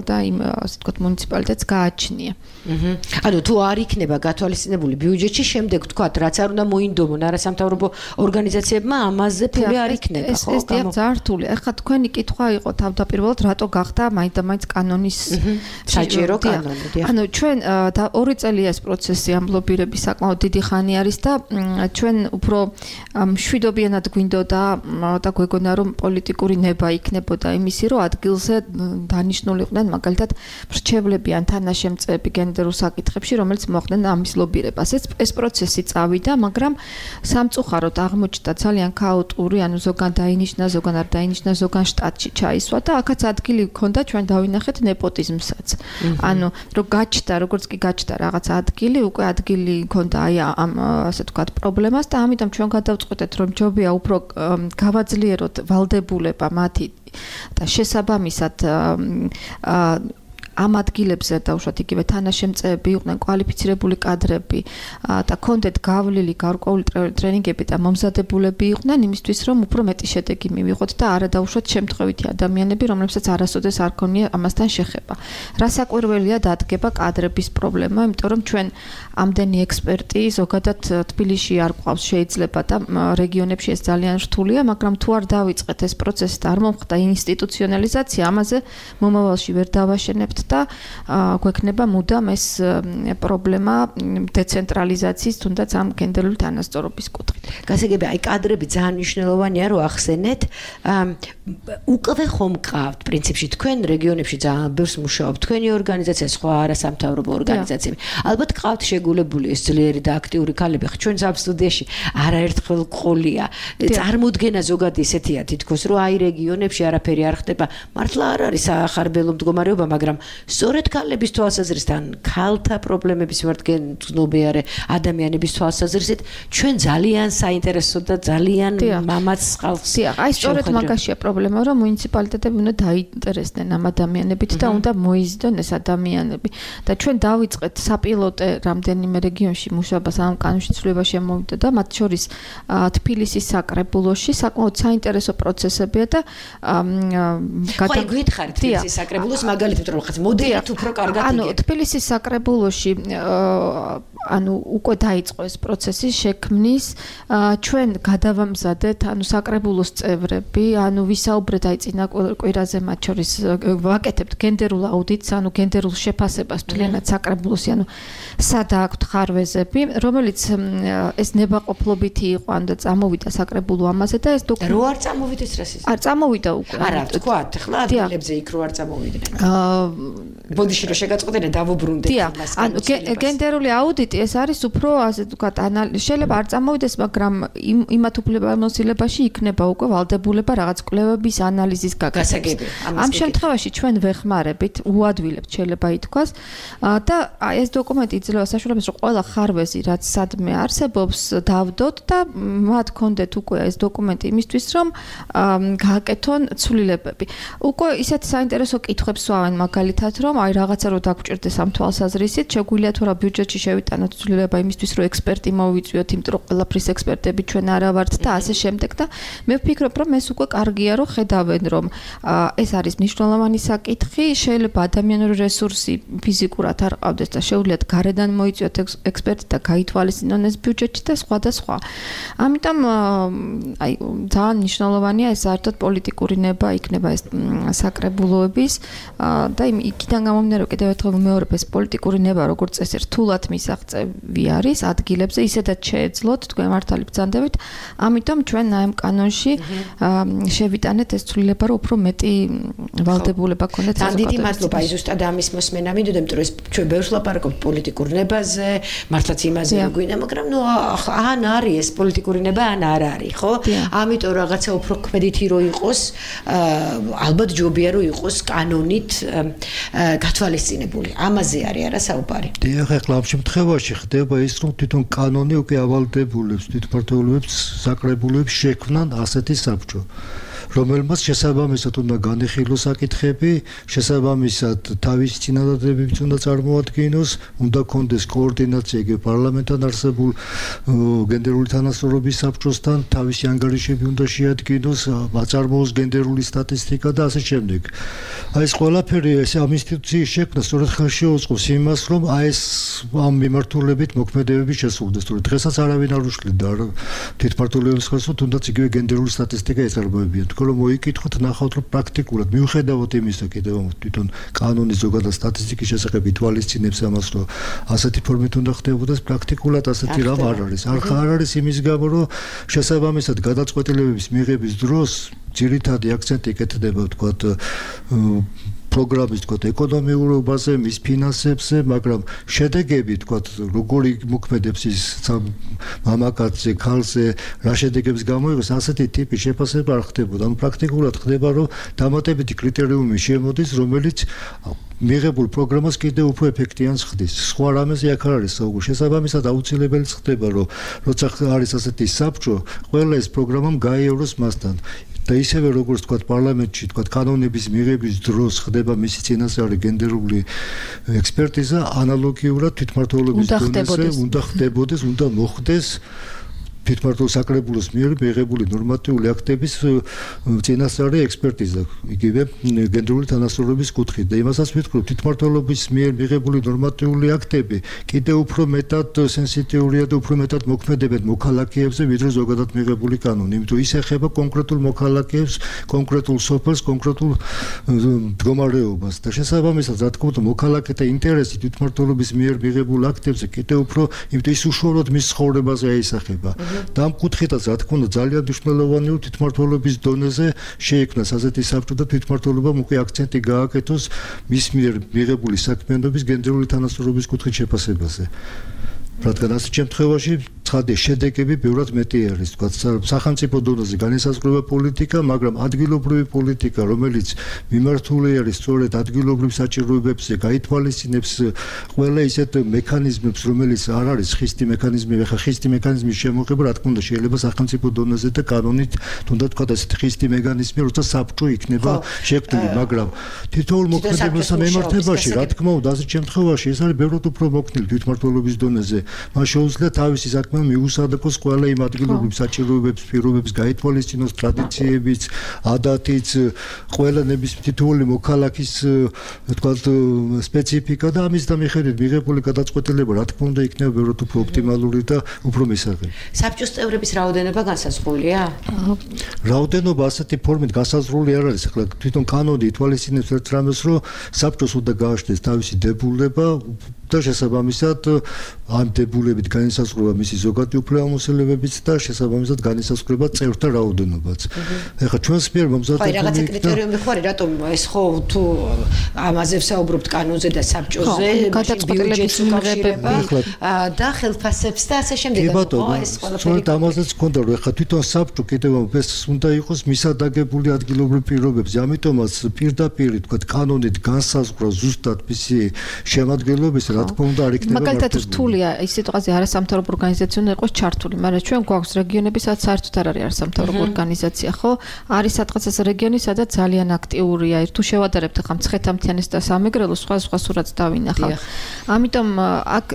და იმ ასე ვთქვათ მუნიციპალიტეტს გააჩნია. ანუ თუ არ იქნება გათვალისწინებული ბიუჯეტში, შემდეგ ვთქვათ, რაც არ უნდა მოინდომონ არასამთავრობო ორგანიზაციებმა, ამაზე ფული არ იქნება, ხო? ეს დიახ, ძალიან რთულია. ეხლა თქვენი კითხვა იყო თავდაპირველად, რატო გახდა მაინც და მაინც კანონის საჭირო კანონი, დიახ. ანუ ჩვენ ორი წელია ეს პროცესი ამ ლობირების საკმაოდ დიდი ხანი არის და ჩვენ უფრო მშვიდობიანად გვინდოდა და გვეგონა რომ პოლიტიკური ნება იქნებოდა იმისი, რომ ადგილზე დანიშნულიყვნენ მაგალითად მრჩევლები ან თანაშემწეები გენდერულ საკითხებში, რომელიც მოახდნენ ამის ლობირებას. ეს ეს პროცესი წავიდა, მაგრამ სამწუხაროდ აღმოჩნდა ძალიან ქაოტური, ანუ ზოგან დაინიშნა, ზოგან არ დაინიშნა, ზოგან შტატში ჩაისვა და აქაც ადგილი ჰქონდა, ჩვენ დავინახეთ ნეპოტიზმსაც. ანუ რომ გაჩნდა, როგორც კი გაჩნდა რაღაც ადგილი, უკვე ადგილი ჰქონდა აი ამ ასე ვთქვათ პრობლემას და ამიტომ ჩვენ გადავწყვეტეთ, რომ ჯობია უფრო გავაძლიეროთ ვალდებულება მათი და შესაბამისად ამ ადგილებზე დაუშვათ იგივე თანაშემწეები იყვნენ კვალიფიცირებული კადრები და კონდეთ გავლილი გარკვეული ტრენინგები და მომზადებულები იყვნენ იმისთვის რომ უფრო მეტი შედეგი მივიღოთ და არა დაუშვათ შემთხვევითი ადამიანები რომლებსაც არასოდეს არ ქონია ამასთან შეხება. რასაკვირველია დადგება კადრების პრობლემა, იმიტომ რომ ჩვენ ამდენი ექსპერტი ზოგადად თბილისში არ გვყავს შეიძლება და რეგიონებში ეს ძალიან რთულია, მაგრამ თუ არ დავიწყეთ ეს პროცესი და არ მომხდა ინსტიტუციონალიზაცია, ამაზე მომავალში ვერ დავაშენებთ და გვექნება მუდამ ეს პრობლემა დეცენტრალიზაციის თუნდაც ამ გენდერული თანასწორობის კუთხით. გასაგებია, აი კადრები ძალიან მნიშვნელოვანია, რომ ახსენეთ. უკვე ხომ გყავთ პრინციპში თქვენ რეგიონებში ძალიან ბევრს მუშაობთ, თქვენი ორგანიზაცია, სხვა არასამთავრობო ორგანიზაციები. ალბათ გყავთ შეგულებული ეს ძლიერი და აქტიური ქალები. ჩვენ ამ სტუდიაში არაერთხელ ყოლია. წარმოუდგენა ზოგადი ესეთია თითქოს, რომ აი რეგიონებში არაფერი არ ხდება. მართლა არ არის ახარბელო მდგომარეობა, მაგრამ სწორედ ქალების თვალსაზრისით, ქალთა პრობლემების მართგენნობიარე ადამიანების თვალსაზრისით, ჩვენ ძალიან საინტერესო და ძალიან მამაც ხალხს. დიახ, აი სწორედ მაგაშია პრობლემა, რომ მუნიციპალიტეტები უნდა დაინტერესდნენ ამ ადამიანებით და უნდა მოიზიდონ ეს ადამიანები. და ჩვენ დავიწყეთ საპილოტე რამდენიმე რეგიონში მუშაობას ამ კანონში ცვლილება შემოვიდა და მათ შორის თბილისის საკრებულოში საკმაოდ საინტერესო პროცესებია და გადა ხო გითხარით თბილისის საკრებულოს მაგალითად რომ ხაც მოდელით უფრო კარგად იგებ. ანუ თბილისის საკრებულოში ანუ უკვე დაიწყო ეს პროცესი შექმნის ჩვენ გადავამზადეთ ანუ საკრებულოს წევრები ანუ ვისაუბრეთ აი წინა კვირაზე მათ შორის ვაკეთებთ გენდერულ აუდიტს ანუ გენდერულ შეფასებას მთლიანად საკრებულოსი ანუ სადა აქვთ ხარვეზები რომელიც ეს ნებაყოფლობითი იყო ანუ და წამოვიდა საკრებულო ამაზე და ეს დოკუმენტი რო არ წამოვიდეს რას ის არ წამოვიდა უკვე არა თქვათ ხლა ადგილებზე იქ რო არ წამოვიდნენ აა ბოდიში რო შეგაწყვეტენ დავუბრუნდეთ იმას ანუ გენდერული აუდიტი ეს არის უფრო ასე ვთქვათ შეიძლება არ წამოვიდეს მაგრამ იმათ უფლებამოსილებაში იქნება უკვე ვალდებულება რაღაც კვლევების ანალიზის გაკეთება ამ შემთხვევაში ჩვენ ვეხმარებით უადვილებთ შეიძლება ითქვას და ეს დოკუმენტი იძლევა საშუალებას რომ ყველა ხარვეზი რაც სადმე არსებობს დავდოთ და მათ კონდეთ უკვე ეს დოკუმენტი იმისთვის რომ გააკეთონ ცვლილებები უკვე ისეთ საინტერესო კითხვებს ვავენ მაგალითად რომ აი რაღაცა რო დაგჭირდეს ამ თვალსაზრისით შეგვიძლია თუ რა ბიუჯეტში შევიტანოთ ცვლილება იმისთვის რომ ექსპერტი მოვიწვიოთ იმიტომ რომ ყველაფრის ექსპერტები ჩვენ არა ვართ და ასე შემდეგ და მე ვფიქრობ რომ ეს უკვე კარგია რომ ხედავენ რომ ეს არის მნიშვნელოვანი საკითხი შეიძლება ადამიანური რესურსი ფიზიკურად არ ყავდეს და შეუძლიათ გარედან მოიწვიოთ ექსპერტი და გაითვალისწინონ ეს ბიუჯეტში და სხვა და სხვა ამიტომ აი ძალიან მნიშვნელოვანია ეს საერთოდ პოლიტიკური ნება იქნება ეს საკრებულოების და იქიდან გამომდინარე კიდევ ერთხელ ვიმეორებ ეს პოლიტიკური ნება როგორც წესი რთულად მისაღწევს მიღწევი არის ადგილებზე, ისედაც შეეძლოთ თქვენ მართალი ბრძანდებით. ამიტომ ჩვენ ამ კანონში შევიტანეთ ეს ცვლილება, რომ უფრო მეტი ვალდებულება ქონდეთ საზოგადოებას. დიდი მადლობა აი ზუსტად ამის მოსმენა მინდოდა, იმიტომ რომ ეს ჩვენ ბევრს ლაპარაკობთ პოლიტიკურ ნებაზე, მართლაც იმაზე რომ გვინდა, მაგრამ ნუ ან არის ეს პოლიტიკური ნება, ან არ არის, ხო? ამიტომ რაღაცა უფრო ქმედითი რო იყოს, ალბათ ჯობია რომ იყოს კანონით გათვალისწინებული. ამაზე არის არა საუბარი. დიახ, ახლა ამ შემთხვევაში ხდება ის, რომ თვითონ კანონი უკვე ავალდებულებს თვითმმართველობებს, საკრებულოებს შექმნან ასეთი საბჭო. რომელმაც შესაბამისად უნდა განეხილოს საკითხები, შესაბამისად თავისი წინადადებებით უნდა წარმოადგინოს, უნდა კონდეს კოორდინაცია იგივე პარლამენტთან არსებულ გენდერული თანასწორობის საბჭოსთან, თავისი ანგარიშები უნდა შეადგინოს, აწარმოოს გენდერული სტატისტიკა და ასე შემდეგ. აი ეს ყველაფერი ეს ამ ინსტიტუციის შექმნა სწორედ ხელშეუწყობს იმას, რომ აი ეს ამ მიმართულებით მოქმედებები შესრულდეს. თორე დღესაც არავინ არ უშლიდა თვითმმართველობის ხელს, თუნდაც იგივე გენდერული სტატისტიკა ეწარმოებიან. რომ მოიკითხოთ, ნახავთ, რომ პრაქტიკულად მიუხედავად იმისა, კიდევ თვითონ კანონის ზოგადად სტატისტიკის შესახებ ითვალისწინებს ამას, რომ ასეთი ფორმით უნდა ხდებოდეს, პრაქტიკულად ასეთი რამ არ არის. არ არის იმის გამო, რომ შესაბამისად გადაწყვეტილებების მიღების დროს ძირითადი აქცენტი ეკეთება, ვთქვათ, პროგრამის თქო ეკონომიურობაზე, მის ფინანსებზე, მაგრამ შედეგები თქო როგორი მოქმედებს ის მამაკაცზე, ქალზე, რა შედეგებს გამოიღოს, ასეთი ტიპის შეფასება არ ხდებოდა. ანუ პრაქტიკულად ხდება, რომ დამატებითი კრიტერიუმი შემოდის, რომელიც მიღებულ პროგრამას კიდევ უფრო ეფექტიანს ხდის. სხვა რამეზე აქ არ არის საუბარი. შესაბამისად აუცილებელიც ხდება, რომ როცა არის ასეთი საბჭო, ყველა ეს პროგრამამ გაიევროს მასთან. და ისევე როგორც თქვა პარლამენტში თქვა კანონების მიღების დროს ხდება მისი წინასწარი გენდერული ექსპერტიზა, ანალოგიურად თვითმმართველობის დონეზე უნდა ხდებოდეს, უნდა მოხდეს თვითმმართველ საკრებულოს მიერ მიღებული ნორმატიული აქტების წინასწარი ექსპერტიზა, იგივე გენდერული თანასწორობის კუთხით. და იმასაც ვიტყვი, რომ თვითმმართველობის მიერ მიღებული ნორმატიული აქტები კიდევ უფრო მეტად სენსიტიურია და უფრო მეტად მოქმედებენ მოქალაქეებზე, ვიდრე ზოგადად მიღებული კანონი. იმიტომ ის ეხება კონკრეტულ მოქალაქეებს, კონკრეტულ სოფელს, კონკრეტულ მდგომარეობას. და შესაბამისად, რა თქმა უნდა, მოქალაქეთა ინტერესი თვითმმართველობის მიერ მიღებულ აქტებზე კიდევ უფრო, იმიტომ ის უშუალოდ მის ცხოვრებაზე აისახება. და ამ კუთხითაც რა თქმა უნდა ძალიან მნიშვნელოვანია თვითმმართველობის დონეზე შეიქმნას ასეთი საბჭო და თვითმმართველობამ უკვე აქცენტი გააკეთოს მის მიერ მიღებული საქმიანობის გენდერული თანასწორობის კუთხით შეფასებაზე. რადგან ასეთ შემთხვევაში ცხადია შედეგები ბევრად მეტი არის, თქვა სახელმწიფო დონეზე განისაზღვრება პოლიტიკა, მაგრამ ადგილობრივი პოლიტიკა, რომელიც მიმართული არის სწორედ ადგილობრივ საჭიროებებზე, გაითვალისწინებს ყველა ისეთ მექანიზმებს, რომელიც არ არის ხისტი მექანიზმი, ხა ხისტი მექანიზმის შემოღება, რა თქმა უნდა, შეიძლება სახელმწიფო დონეზე და კანონით, თუნდაც თქვა ესეთი ხისტი მექანიზმი, როცა საბჭო იქნება შექმნილი, მაგრამ თითოეულ მოქმედებასთან მიმართებაში, რა თქმა უნდა, ასეთ შემთხვევაში ეს არის ბევრად უფრო მოქნილი თვითმმართველობის დონეზე. მას შეუძლია თავისი საქმე მიუსადაკოს ყველა იმ ადგილობრივ საჭიროებებს, პირობებს გაითვალისწინოს ტრადიციებიც, ადათიც, ყველა ნებისმიერ თითოეული მოქალაქის თქვათ სპეციფიკა და ამის და მიხედვით მიღებული გადაწყვეტილება, რა თქმა უნდა, იქნება ბევრად უფრო ოპტიმალური და უფრო მისაღები. საბჭოს წევრების რაოდენობა განსაზღვრულია? რაოდენობა ასეთი ფორმით განსაზღვრული არ არის. ახლა თვითონ კანონი ითვალისწინებს ერთ რამეს, რომ საბჭოს უნდა გააჩნდეს თავისი დებულება და შესაბამისად ამ დებულებით განისაზღვრება მისი ზოგადი უფლებამოსილებებიც და შესაბამისად განისაზღვრება წევრთა რაოდენობაც. ეხლა ჩვენს მიერ მომზადებული ხო, რაღაცა კრიტერიუმი ხო არის, რატომ ეს ხო თუ ამაზე ვსაუბრობთ კანონზე და საბჭოზე, გადაწყვეტილების მიღება და ხელფასებს და ასე შემდეგ. კი ბატონო, სწორედ ამაზეც გქონდა, რომ ეხლა თვითონ საბჭო კიდევ ეს უნდა იყოს მისადაგებული ადგილობრივ პირობებზე, ამიტომაც პირდაპირ თქვა კანონით განსაზღვრა ზუსტად მისი შემადგენლობის რა თქმა უნდა არ იქნება მარტივი. მაგალითად რთულია ის სიტუაცია არასამთავრობო ორგანიზაცია უნდა იყოს ჩართული, მაგრამ ჩვენ გვაქვს რეგიონები, სადაც საერთოდ არ არის არასამთავრობო ორგანიზაცია, ხო? არის სადღაც რეგიონი, სადაც ძალიან აქტიურია. თუ შევადარებთ ახლა მცხეთა-მთიანეთს და სამეგრელოს, სხვა სხვა სურათს დავინახავ. ამიტომ აქ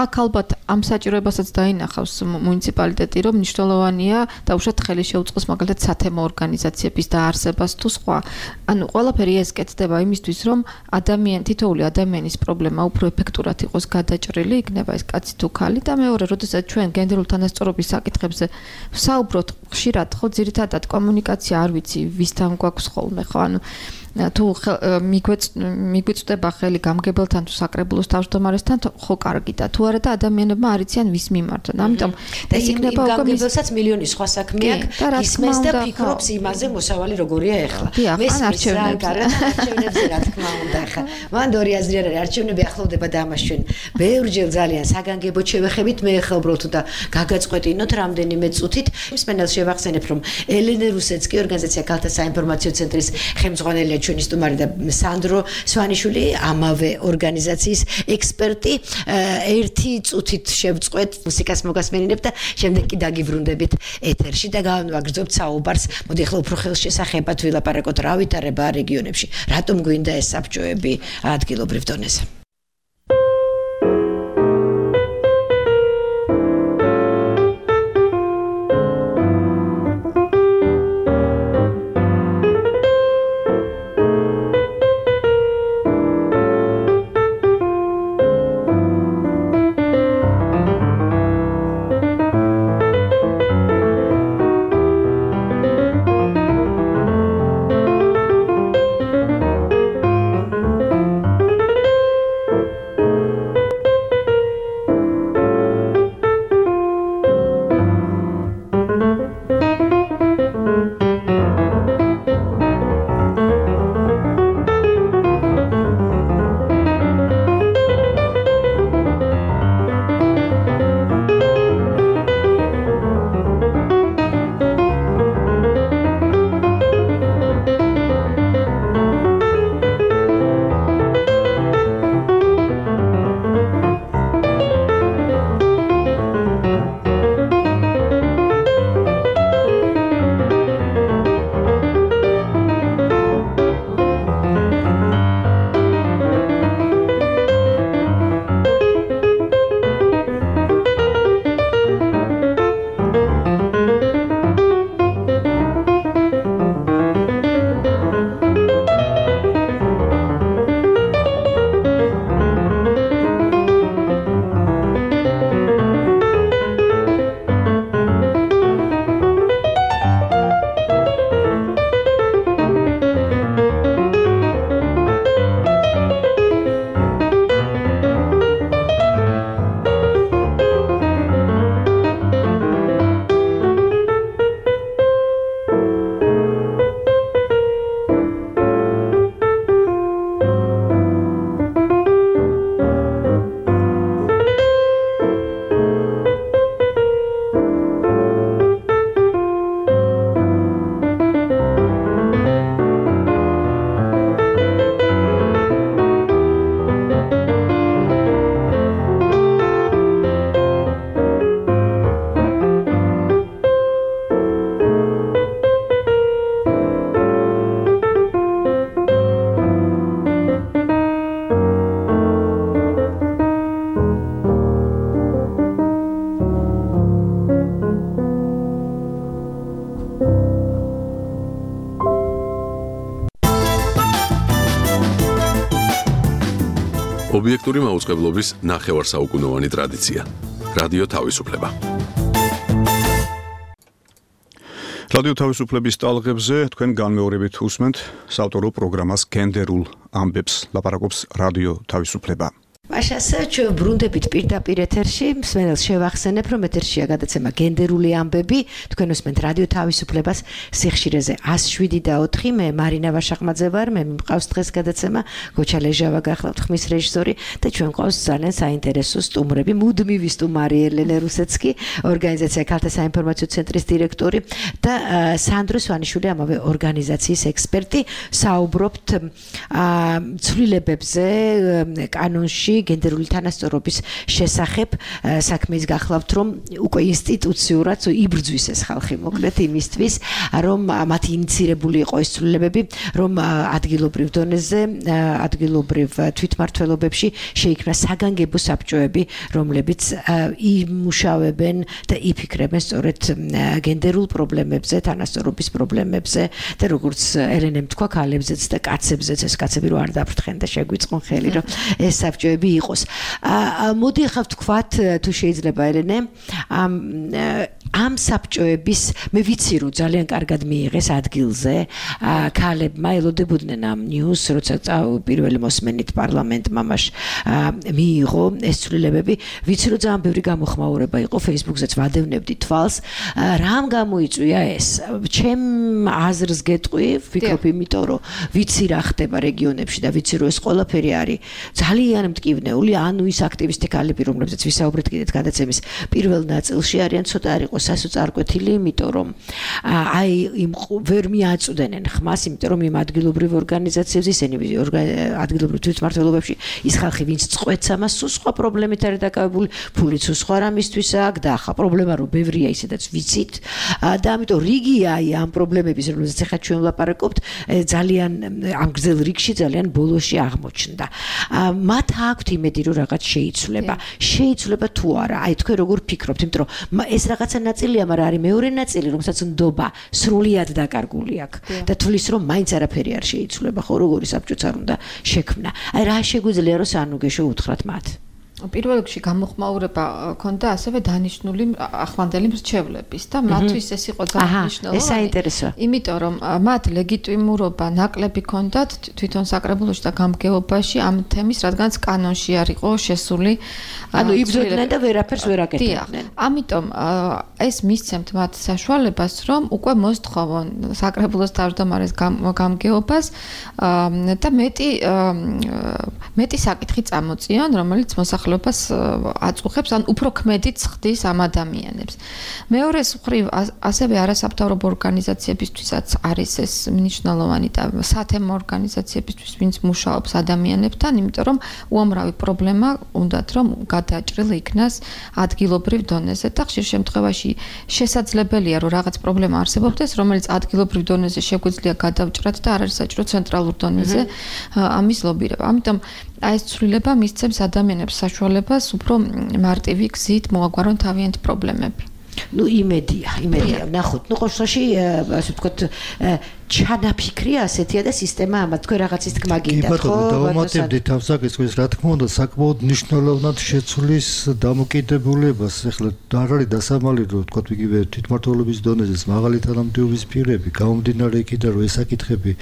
აქ ალბათ ამ საჭიროებასაც დაინახავს მუნიციპალიტეტი, რომ მნიშვნელოვანია და უშუალოდ ხელი შეუწყოს მაგალითად სათემო ორგანიზაციების დაარსებას თუ სხვა. ანუ ყველაფერი ეს კეთდება იმისთვის, რომ ადამიანი თითოეული ადამიანის პრობლემა უფრო ეფექტურად იყოს გადაჭრილი, იქნება ეს კაცი თუ ქალი და მეორე, როდესაც ჩვენ გენდერულ თანასწორობის საკითხებზე ვსაუბრობთ, ხშირად ხო ძირითადად კომუნიკაცია არ ვიცი, ვისთან გვაქვს ხოლმე, ხო, ანუ თუ მიგვეწდება ხელი გამგებელთან თუ საკრებულოს თავმჯდომარესთან ხო კარგი და თუ არა და ადამიანებმა არ იციან ვის მიმართ. ამიტომ ეს იქნება უკვე გამგებელსაც მილიონი სხვა საქმე აქვს ისმენს და ფიქრობს იმაზე მოსავალი როგორია ახლა. მესმის რა არჩევნებზე რა თქმა უნდა ახლა. მან ორი აზრი არ არის არჩევნები ახლოვდება და ამას ჩვენ ბევრჯერ ძალიან საგანგებოდ შევეხებით მე ახლა უბრალოდ და გაგაწყვეტინოთ რამდენიმე წუთით მსმენელს შევახსენებ რომ ელენე რუსეცკი ორგანიზაცია ქალთა საინფორმაციო ცენტრის ხელმძღვანელია ჩვენი სტუმარი და სანდრო სვანიშვილი ამავე ორგანიზაციის ექსპერტი ერთი წუთით შევწყვეთ მუსიკას მოგასმენინებ და შემდეგ კი დაგიბრუნდებით ეთერში და გავაგრძობთ საუბარს მოდი ახლა უფრო ხელშესახებად ვილაპარაკოთ რა ვითარება რეგიონებში რატომ გვინდა ეს საბჭოები ადგილობრივ დონეზე ობიექტური მაუწყებლობის ნახევარსაუკუნოვანი ტრადიცია. რადიო თავისუფლება. რადიო თავისუფლების ტალღებზე თქვენ განმეორებით უსმენთ საავტორო პროგრამას გენდერულ ამბებს ლაპარაკობს რადიო თავისუფლება. მაშასე ჩვენ ბრუნდებით პირდაპირ ეთერში, მსმენელს შევახსენებ, რომ ეთერშია გადაცემა გენდერული ამბები, თქვენ უსმენთ რადიო თავისუფლებას სიხშირეზე εκ შვიდ და ოთხი, მე მარინა ვაშახმაძე ვარ, მე მყავს დღეს გადაცემა, გოჩა ლეჟავა გახლავთ ხმის რეჟისორი და ჩვენ ყავს ძალიან საინტერესო სტუმრები, მუდმივი სტუმარი ელენე რუსეცკი, ორგანიზაცია ქალთა საინფორმაციო ცენტრის დირექტორი და სანდრო სვანიშვილი, ამავე ორგანიზაციის ექსპერტი, საუბრობთ ცვლილებებზე კანონში გენდერული თანასწორობის შესახებ საქმეს გახლავთ რომ უკვე ინსტიტუციურად იბრძვის ეს ხალხი მოკლედ იმისთვის რომ მათი ინიცირებული იყო ეს ცვლილებები რომ ადგილობრივ დონეზე ადგილობრივ თვითმმართველობებში შეიქმნა საგანგებო საბჭოები რომლებიც იმუშავებენ და იფიქრებენ სწორედ გენდერულ პრობლემებზე თანასწორობის პრობლემებზე და როგორც ელენემ თქვა ქალებზეც და კაცებზეც ეს კაცები რო არ დაფრთხენ და შეგვიწყონ ხელი რომ ეს საბჭოები იყოს. მოდი ახლა ვთქვათ თუ შეიძლება ელენე ამ საბჭოების მე ვიცი რომ ძალიან კარგად მიიღეს ადგილზე ქალებმა ელოდებოდნენ ამ ნიუს როცა პირველი მოსმენით პარლამენტმა მას მიიღო ეს ცვლილებები ვიცი რომ ძალიან ბევრი გამოხმაურება იყო Facebook-ზეც ვადევნებდი თვალს რამ გამოიწვია ეს ჩემ აზრს გეტყვი ვფიქრობ იმიტომ რომ ვიცი რა ხდება რეგიონებში და ვიცი რომ ეს ყველაფერი არის ძალიან მტკივნეული ანუ ის აქტივისტი ქალები რომლებზეც ვისაუბრეთ კიდეც გადაცემის პირველ ნაწილში არიან ცოტა არ იყო სასოწარკვეთილი იმიტომ რომ აი იმ ვერ მიაწვდენენ ხმას იმიტომ რომ იმ ადგილობრივ ორგანიზაციებს ისინი ადგილობრივ თვითმმართველობებში ის ხალხი ვინც წყვეტს ამას სულ სხვა პრობლემით არის დაკავებული ფულიც სხვა რამისთვის აქვს და ახლა პრობლემა რომ ბევრია ისედაც ვიცით და ამიტომ რიგია აი ამ პრობლემების რომელზეც ახლა ჩვენ ვლაპარაკობთ ძალიან ამ გრძელ რიგში ძალიან ბოლოში აღმოჩნდა მათ აქვთ იმედი რომ რაღაც შეიცვლება შეიცვლება თუ არა აი თქვენ როგორ ფიქრობთ იმიტომ რომ ეს რაღაცა ნაწილია მაგრამ არის მეორე ნაწილი რომელსაც ნდობა სრულიად დაკარგული აქვს და თulis რომ მაინც არაფერი არ შეიცვლება ხო როგორი საბჭოც არ უნდა შექმნა აი რა შეგვიძლია რომ სანუგეშო უთხრათ მათ პირველ რიგში გამოხმაურება ქონდა ასევე დანიშნული ახლანდელი მრჩევლების და მათთვის ეს იყო ძალიან მნიშვნელოვანი. ეს საინტერესოა. იმიტომ რომ მათ ლეგიტიმურობა ნაკლები ქონდათ თვითონ საკრებულოში და გამგეობაში ამ თემის, რადგანაც კანონში არ იყო შესული. ანუ იბრძოდნენ და ვერაფერს ვერ აკეთებდნენ. ამიტომ ეს მისცემთ მათ საშუალებას, რომ უკვე მოსთხოვონ საკრებულოს თავმჯდომარის გამგეობას და მეტი მეტი საკითხი წამოწიონ, რომელიც მოსახლეობას აწუხებს ან უფრო ქმედით ხდის ამ ადამიანებს. მეორეს მხრივ ასევე არასამთავრობო ორგანიზაციებისთვისაც არის ეს მნიშვნელოვანი და სათემო ორგანიზაციებისთვის ვინც მუშაობს ადამიანებთან, იმიტომ რომ უამრავი პრობლემა უნდათ რომ გადააჭრილი იქნას ადგილობრივ დონეზე და ხშირ შემთხვევაში შესაძლებელია რომ რაღაც პრობლემა არსებობდეს, რომელიც ადგილობრივ დონეზე შეგვიძლია გადავჭრათ და არ არის საჭირო ცენტრალურ დონეზე ამის ლობირება. ამიტომ აი ეს ცვლილება მისცემს ადამიანებს საშუალებას უფრო მარტივი გზით მოაგვარონ თავიანთი პრობლემები. ну იმედია, იმედია. ნახოთ, ну ყოველში ასე ვთქვათ ჩანაფიქრია ასეთია და სისტემა ამა თქვენ რაღაცის თქმა გინდათ, ხო? დავუმატებდით ამ საკითხს, რა თქმა უნდა, საკმაოდ მნიშვნელოვნად შეცვლის დამოკიდებულებას. ეხლა არ არის დასამალი, რომ ვთქვათ, იგივე თვითმმართველობის დონეზე მაღალი თანამდებობის პირები, გამომდინარე იქიდან, რომ ეს საკითხები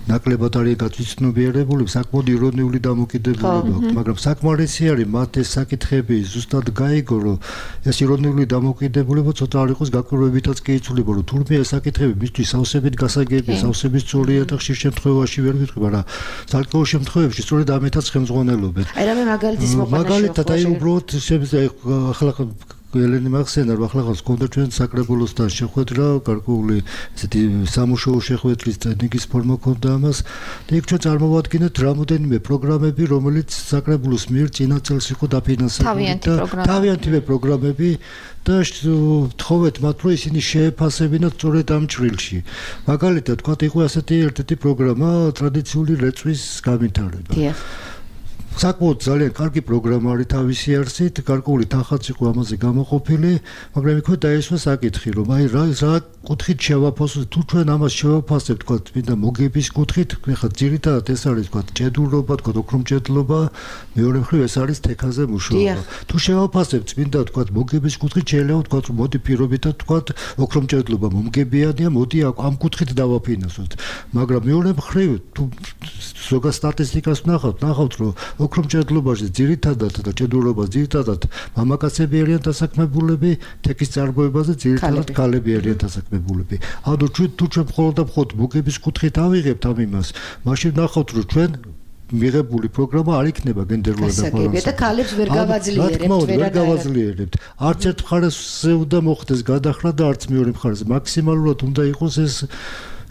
ნაკლებად არის გაწვიცნობიერებული, საკმაოდ ირონიული დამოკიდებულება აქვს, მაგრამ საკმარისი არის მათ ეს საკითხები ზუსტად გაიგო, რომ ეს ირონიული დამოკიდებულება ცოტა არ იყოს გაკვირვებითაც კი იცვლება, რომ თურმე ეს საკითხები მისთვის სავსებით გასაგებია, სავსებით სწორია და ხშირ შემთხვევაში ვერ ვიტყვი, მაგრამ ძალკეულ შემთხვევებში სწორედ ამითაც ხელმძღვანელობენ. აი რამე მაგალითის მოყვანა მაგალითად აი უბრალოდ შემიძლია ახლა ელენი მახსენა რომ ახლა ხონდა ჩვენ საკრებულოსთან შეხვედრა, გარკვეული ესეთი სამუშაო შეხვედრის ტექნიკის ფორმა ქონდა ამას და იქ ჩვენ წარმოვადგინეთ რამოდენიმე პროგრამები, რომელიც საკრებულოს მიერ წინა წელს იყო დაფინანსებული და თავიანთი პროგრამები და თხოვეთ მათ რომ ისინი შეეფასებინათ სწორედ ამ ჭრილში. მაგალითად, თქვა იყო ასეთი ერთ-ერთი პროგრამა ტრადიციული რეწვის განვითარება. საკმაოდ ძალიან კარგი პროგრამა არის თავისი არსით, გარკვეული თანხაც იყო ამაზე გამოყოფილი, მაგრამ იქ დაესვა საკითხი, რომ აი რა რა კუთხით შევაფასოთ, თუ ჩვენ ამას შევაფასებთ, თქვა მინდა მოგების კუთხით, ხა ძირითადად ეს არის თქვა ჭედურობა, თქვა ოქრომჭედლობა, მეორე მხრივ ეს არის თექაზე მუშაობა. თუ შევაფასებთ, მინდა თქვა მოგების კუთხით შეიძლება თქვა რომ მოდი პირობითად თქვა ოქრომჭედლობა მომგებიანია, მოდი ამ კუთხით დავაფინანსოთ. მაგრამ მეორე მხრივ თუ ზოგადად სტატისტიკას ვნახავთ, ნახავთ რომ ოქრომჭედლობაში ძირითადად და ჭედურობას ძირითადად მამაკაცები არიან დასაქმებულები, თექის წარმოებაზე ძირითადად ქალები არიან დასაქმებულები. ანუ ჩვენ თუ ჩვენ მხოლოდ და მხოლოდ მოგების კუთხით ავიღებთ ამ იმას, მაშინ ნახავთ რომ ჩვენ მიღებული პროგრამა არ იქნება გენდერულად დაბალანსებული და ქალებს ვერ გავაძლიერებთ, ვერ გავაძლიერებთ. არც ერთ მხარეს უნდა მოხდეს გადახრა და არც მეორე მხარეს. მაქსიმალურად უნდა იყოს ეს